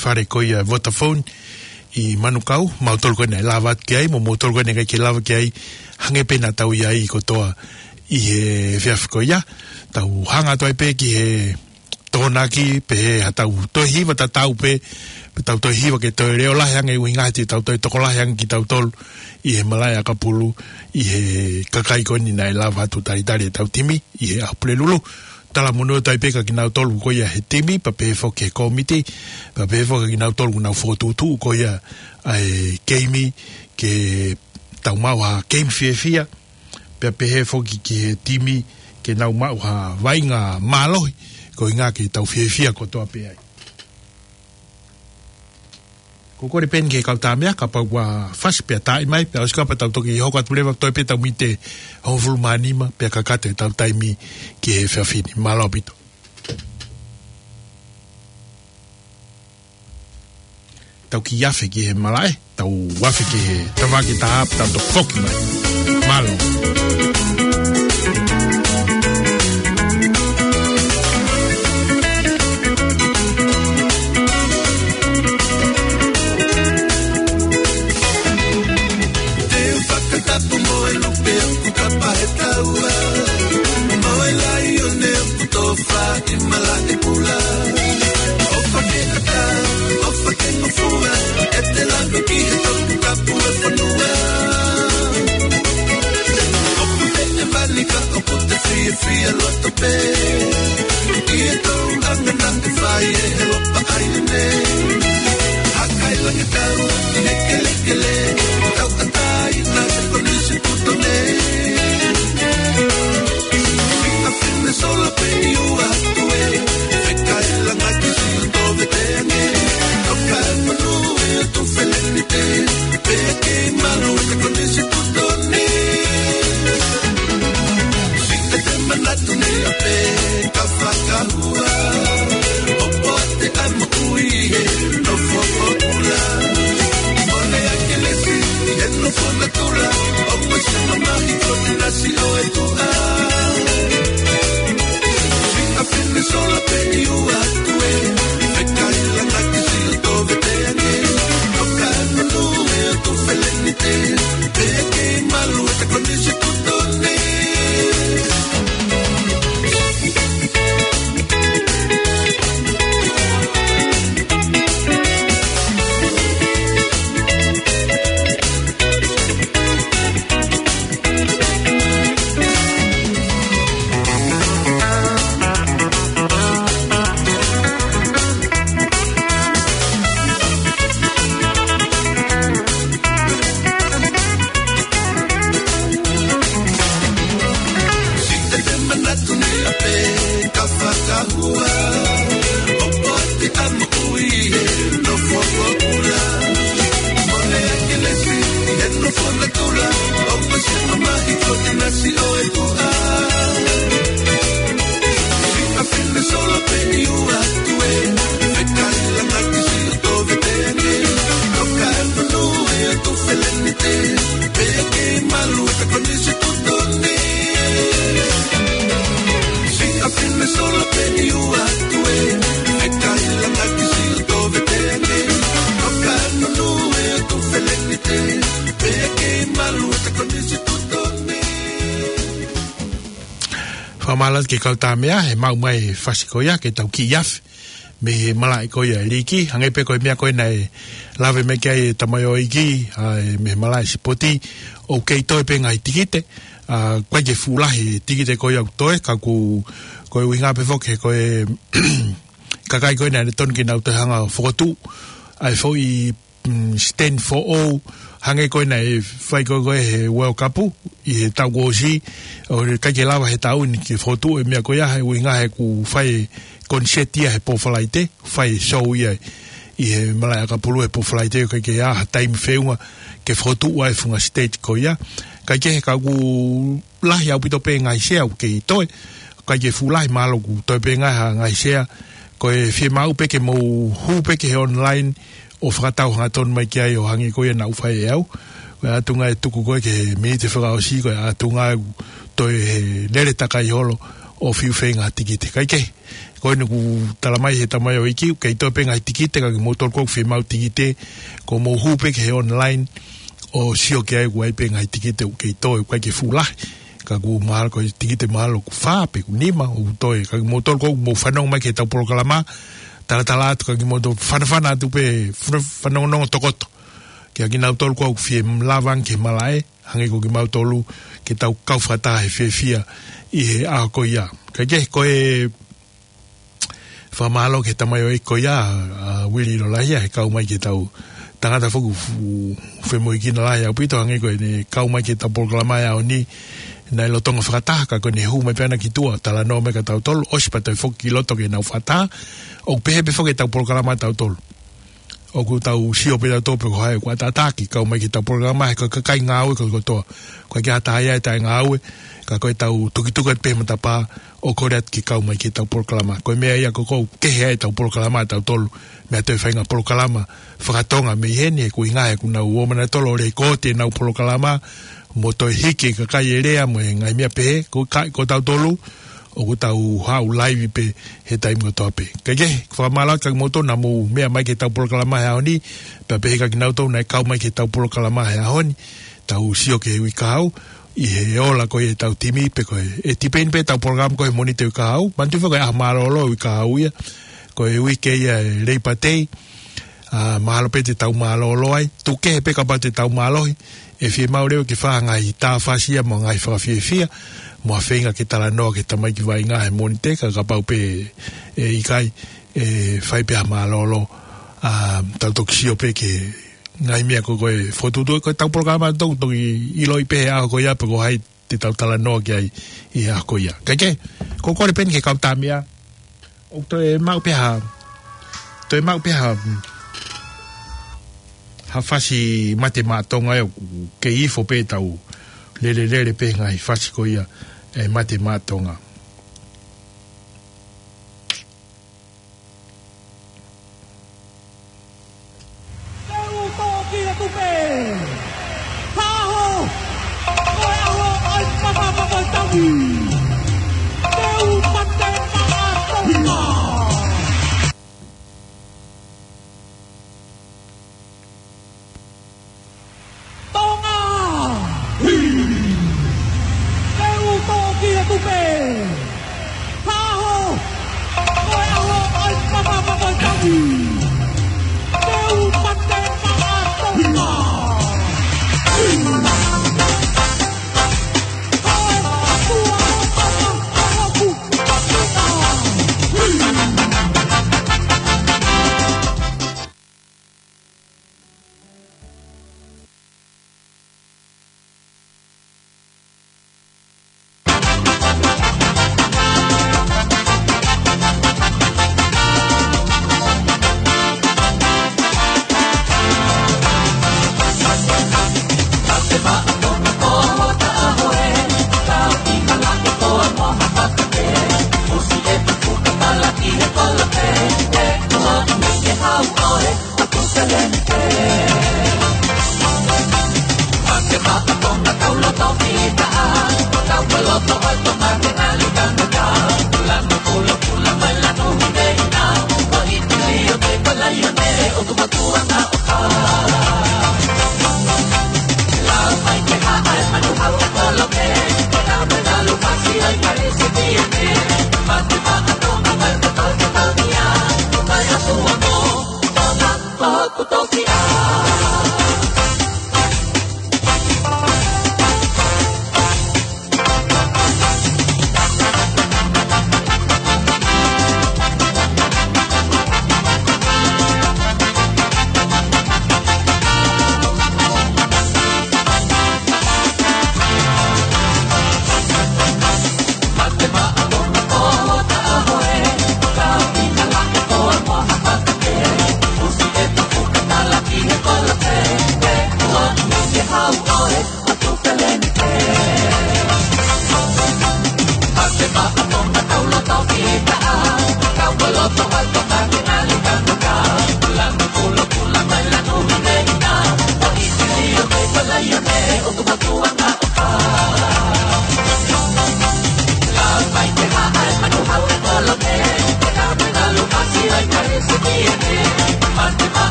fale ko ia Vodafone ʻi Manukau, mautolu ko ē naʻe lava atu ki ai, mo mautolu ko ē naʻe ʻikai ke lava ki ai, hangē pē naʻa tau ʻi ai kotoa ʻi he efiafi ko ia. Tau hanga atu ai pē ki he Tokonaki, pehē haʻatau toe hiva tatau pē, pea tau toe hiva ke toe leʻo lahi ange ʻuhinga he te tau toe tokolahi ange kitautolu ʻi he malaʻe ʻakapulu, ʻi he kakai ko eni naʻe lava atu talitali ʻetau timi ʻi he ʻaho Pulelulu. Talamonū atu ai pē kia kinautolu ko ia he timi, pea pehē foki he kōmiti, pea pehē foki kia kinautolu ʻoku nau fokotuʻutuʻu ko ia ʻa e keimi ke tau maʻu ha keimi fiefia, pea pehē foki ki he timi ke nau maʻu ha vaʻinga mālohi, koeʻuhinga ke tau fiefia kotoa pē ai. Ko e kole pē eni ki he kau tāmeʻa, kapau ʻoku fasi pea taaʻi mai, pea ʻosi kapau tau toki hoko atu leva, toe pē tau miniti hongofulu mā nima, pea kakato ʻetau taimi ki he efiafi ni. Mālō ʻaupito. Tau kiʻi afe ki he malaʻe, tau afe ki he tafaʻaki taha pea tau toki foki mai. Mālō. Te u fakatapu mo e lupe ʻoku kapa he taua, mo e laione ʻoku tofa ʻi malaʻe kula. ʻOfa ke ʻatā, ʻofa ke ngofua, ʻete lava ki he Toputapu ʻo e fonua. ʻOku te ʻevani ka ʻoku te fiefia loto pē ʻi he tōʻonga naʻe fai ʻe he Lopa ʻAi nei. Hakailangitau ʻi he kelekele, tauʻatāina he konisitūtone. Siʻa fine sola pē ʻi ua atu ē, fekailanga ki Siʻoto Veteange. Toka e manu ē ʻo Tufelenite, pea kei malu ʻa e konisitūtone. Siʻete manatu ni ʻapē ka fakahua, ʻo poate ʻa e moʻui he nofo ʻo kula. Mole ʻa Kelesi he nofo natula, ʻo maʻu e mamahi ko e nasi ʻo e tuʻa. Siʻa fine sola pē ʻi ua atu ē, fekailanga ki Siʻoto Veteange. Toka e manu ē ʻo Tufelenite, pea kei malu ʻa e konisitūtone. Siʻete manatu ni ʻapē ka fakahua, ʻo poate ʻa e moʻui he nofo ʻo kula. Mole ʻa Kelesi he nofo natula, ʻo maʻu e mamahi ko e nasi ʻo e tuʻa. Siʻa fine sola pē ʻi ua atu ē, fekailanga ki Siʻoto Veteange. Toka e manu ē ʻo Tufelenite, pea kei malu ʻa e konisitūtone. Siʻa fine sola pē ʻi ua atu ē, fekailanga ki Siʻoto Veteange. Toka e manu ē ʻo Tufelenite, pea kei malu ʻa e konisitūtone. Fakamālō atu ki he kau tāmeʻa he maʻu mai e fasi ko ia ke tau kiʻi afe mei he malaʻe ko ia ʻa e liiki, hangē pē ko e meʻa ko ē naʻe lave mai ki ai e tamaioʻeiki, ʻa e mei he malaʻe sipoti, ʻoku kei toe pē ngaahi tikite, ʻa, ʻoku ʻikai ke fuʻu lahi e tikite ko ia ʻoku toe, ka ʻoku, ko e ʻuhinga pē foki he ko e kakai ko ē naʻe tonu ke nau toe hanga ʻo fokotuʻu ʻa e foʻi mm, stand foʻou, hangē ko ē naʻe fai ko ē ko ē he World Cup ʻi he taʻu kuo ʻosi, ʻoku ʻikai ke lava he taʻu ni ke fokotuʻu e meʻa ko ia, he ʻuhinga he ʻoku fai e concert ia he pō Falaite, fai e show ia ʻi he malaʻe ʻakapulu he pō Falaite, ʻoku ʻikai ke ʻi ai ha taimi feʻunga ke fokotuʻu ai e funga stage ko ia. Kae kehe ka ʻoku lahi ʻaupito pē ngaahi sea ʻoku kei toe, ʻikai ke fuʻu lahi, mahalo ʻoku toe pē ngaahi, ha ngaahi sea, ko e fiemaʻu pē ke mou hū pē ki he online ʻo fakatau hangatonu mai ki ai ʻo hangē ko ia naʻa ku fai ʻe au. Ko e ʻatunga e tuku ko ē ki he miniti fakaʻosi, ko e ʻatunga ʻoku toe he lele takai holo, ʻo fiu feinga ha tikite. Kae kehe, ko eni kuo tala mai he tamaioʻeiki, ʻoku kei toe pē ngaahi tikite, ka kimoutolu ʻoku fiemaʻu tikite, ko mou hū pē ki he online, ʻo sio ki ai ʻoku ʻi ai pē ngaahi tikite ʻoku kei toe, ʻoku ʻikai ke fuʻu lahi. Ka ʻoku mahalo ko e tikite mahalo ʻoku fā pe ʻoku nima ʻoku toe. Ka kimoutolu ʻoku mou fanongo mai ki heʻetau polokalama, talatala atu ka kimoutolu fanafana atu pē, fana-, fanongonongo tokoto. Kiate kinautolu ʻoku fie lava ange ke malaʻe, hangē ko kimautolu ke tau kau fakataha he fiefia ʻi he ʻaho ko ia. Kae kehe, ko e fakamālō ki he tamaioʻeiki ko ia, ʻa Uili Lolahia, he kau mai ki heʻetau tangata foki ʻoku fu-, femoʻuekina lahi ʻaupito, hangē ko ʻene kau mai ki heʻetau polokalama he ʻaho ni, naʻe lolotonga fakataha, ka ko ʻene hū mai pē ʻana ki tuʻa, talanoa mai kia tautolu, ʻosi pea toe foki ki loto ke nau fakataha, ʻoku pehē pē foki ʻetau polokalama ʻatautolu. ʻOku tau sio pē tautolu pe ko hai ʻoku ʻataʻatā ke kau mai ki heʻetau polokalama, he ko e kakai ngāue kotoa. ʻOku ʻikai ke ʻi ai ha taha ia ʻe taʻengāue, ka ko ʻetau tukituki atu pē he matapā ʻo kole atu ke kau mai ki heʻetau polokalama. Ko e meʻa ia ko ē ʻoku kehe ai ʻetau polokalama ʻatautolu mei ha toe faʻahinga polokalama fakatonga mei heni, he ko e ʻuhinga he ʻoku nau ō mai nautolu ʻo lekooti ʻenau polokalama, mo toe hiki e kakai ʻo lea mo e ngaahi meʻa pehē, ko e kakai ko tautolu, ʻoku tau haʻu laivi pē he taimi kotoa pē. Kae kehe, fakamālō atu kia kimoutolu naʻa mou meʻa mai ki heʻetau polokalama he ʻaho ni, pea pehē kia kinautolu naʻe kau mai ki heʻetau polokalama he ʻaho ni, tau sio ki he uike kahaʻu, ʻi he ola ko ia ʻetau timi pe ko e, ʻe tipeni pē ʻetau polokalama ko e Mōnite uike kahaʻu, manatuʻi foki ko e ʻaho mālōlō uike kahaʻu ia, ko e uike ia ʻo e Labor Day, ʻa, mahalo pē te tau mālōlō ai, tuku kehe pē kapau te tau mālohi, ʻe fiemaʻu leva ke fai ha ngaahi tāfasi ia mo e ngaahi fakafiefia, mo ha feinga ke talanoa ki he tamaiki vaʻinga he Mōnite, ka kapau pē ʻe ʻikai, ʻe fai pē ha mālōlō, ʻa, tau toki sio pē ki he ngaahi meʻa ko ē ʻoku fokotuʻutuʻu, ko ʻetau polokalama ʻoku toki ʻiloʻi pē he ʻaho ko ia pe ko hai te tau talanoa ki ai ʻi he ʻaho ko ia. Kae kehe, ko e kole pē eni ki he kau tamaiki, ʻoku toe maʻu pē ha, toe maʻu pē ha, ha fasi Mate Maʻa Tonga ē, ʻoku kei ifo pē ʻetau lelelele pē he ngaahi fasi ko ia ʻa e Mate Maʻa Tonga. Te u toki atu pē. Haʻo. Ko e ʻaho ʻo e papa papa tapu. Te u Mate Maʻa Tonga. Tonga! Te u toki atu pē. Haʻo. Ko e ʻaho ʻo e papa papa tapu. Te u Mate Maʻa Tonga. Ko e ʻatua ʻo papa ʻo hoku ʻatua.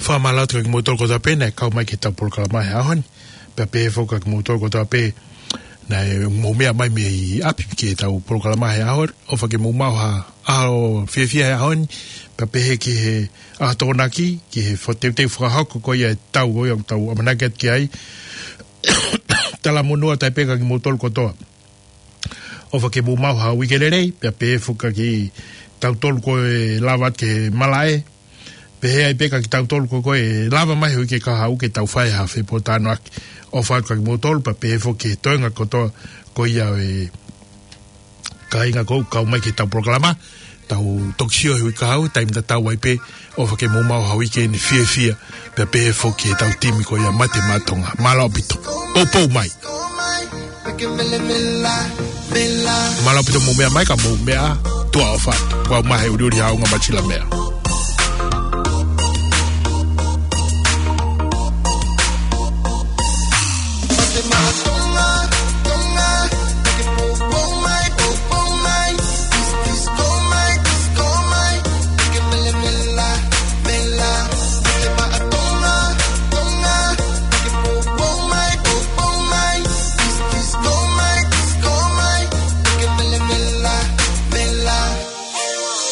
Fakamālō atu kia kimoutolu kotoa pē naʻe kau mai ki heʻetau polokalama he ʻaho ni. Pea pehē foki kia kimoutolu kotoa pē naʻe mou meʻa mai mei ʻapi ki heʻetau polokalama he ʻaho ni. ʻOfa ke mou maʻu ha ʻaho fiefia he ʻaho ni. Pea pehē ki he ʻaho Tokonaki, ki he fo-, teuteu fakahoko ko ia ʻetau, ko ia ʻoku tau ʻamanaki atu ki ai. Talamonū atu ai pē kia kimoutolu kotoa. ʻOfa ke mou maʻu ha uike lelei, pea pehē foki kia kitautolu ko ē lava atu ki he malaʻe. Pehē ai pē kia kitautolu ko ē lava mai he uike kahaʻu ke tau fai ha fepōtalanoaʻaki. ʻOfa atu kia kimoutolu, pea pehē foki ki he toenga kotoa ko ia ʻo e kāinga ʻoku kau mai ki heʻetau polokalama. Tau toki sio he uike kahaʻu, taimi tatau ai pē, ʻofa ke mou maʻu ha uike ni fiefia, pea pehē foki ki heʻetau timi ko ia Mate Maʻa Tonga. Mālō ʻaupito. Poupou mai. Mālō ʻaupito mou meʻa mai ka mou meʻa, tuʻa ʻofa atu. Kuo u mahe uliuli ha unga matila meʻa.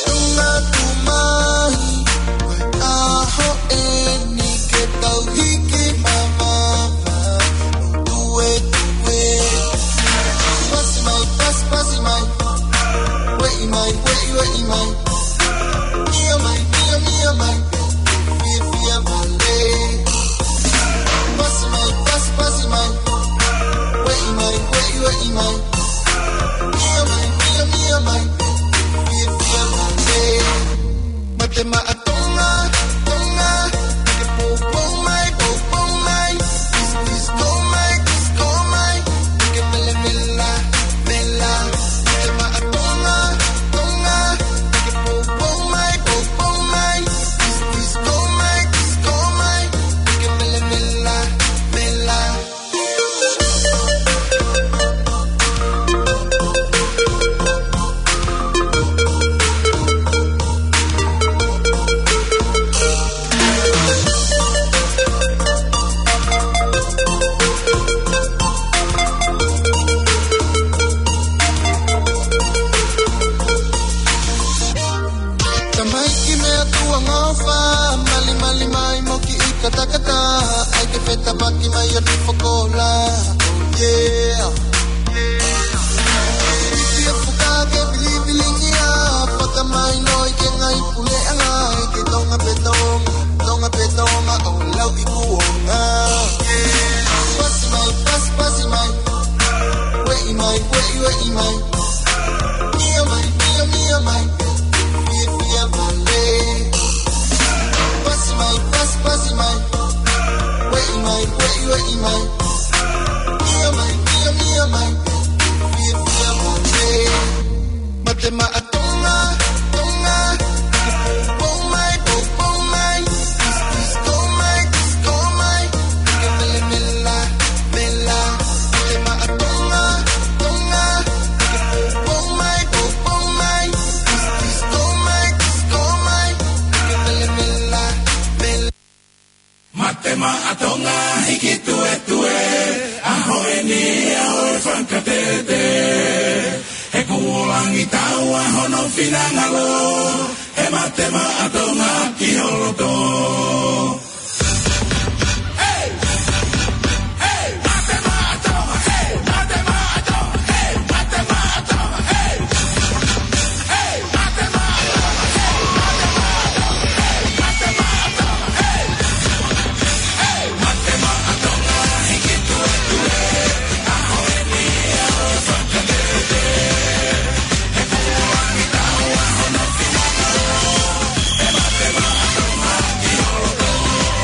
Tonga tū mai, ko e ʻaho eni ke tau hiki mamafa, tuetue. Pasi mai, pasi, pasi mai. Ueʻi mai, ueʻi, ueʻi mai. Mia mai, mia, mia mai. Fiefia vale. Pasi mai, pasi, pasi mai. Ueʻi mai, ueʻi, ueʻi mai. Mia mai, mia, mia mai. Fiefia vale. Mate Maʻa Tonga, Tonga. Ke poupou mai, poupou mai. Kiss, kiss, ko mai, kiss, ko mai. Ke mela, mela, mela. Mate Maʻa Tonga, Tonga. Ke poupou mai, poupou mai. Kiss, kiss, ko mai, kiss, ko mai. Ke mela, mela, mela. Tamaiki meʻa tuʻa ngofa, mali, mali mai mo kiʻi katakata, ʻai ke fetapaki mai ʻo ne fokola. Oh yeah. Ifi e fuka ke pilipilingia, fakamai noi ke ngai puleʻanga, ʻi ke Tonga pē Tonga, Tonga pē Tonga, ʻo lau i kuonga. Pasi mai, pasi, pasi mai. Ueʻi mai, ueʻi, ueʻi mai. Mia mai, mia, mia mai. Fiefia vale. Pasi mai, pasi, pasi mai. Ueʻi mai, ueʻi, ueʻi mai. Mia mai, mia, mia mai. Fiefia vale. Mate Maʻa Tonga, Tonga. Poupou mai, poupou mai. Kiss, kiss, ko mai, kiss, ko mai. Ke mela, mela, mela. Mate Maʻa Tonga, Tonga. Ke poupou mai, poupou mai. Kiss, kiss, ko mai, kiss, ko mai. Ke mela, mela, mela. Mate Maʻa Tonga, hiki tuetue. ʻAho eni, ʻaho e fakatete. He kuo langi taua hono finangalo. He Mate Maʻa Tonga ki ho loto.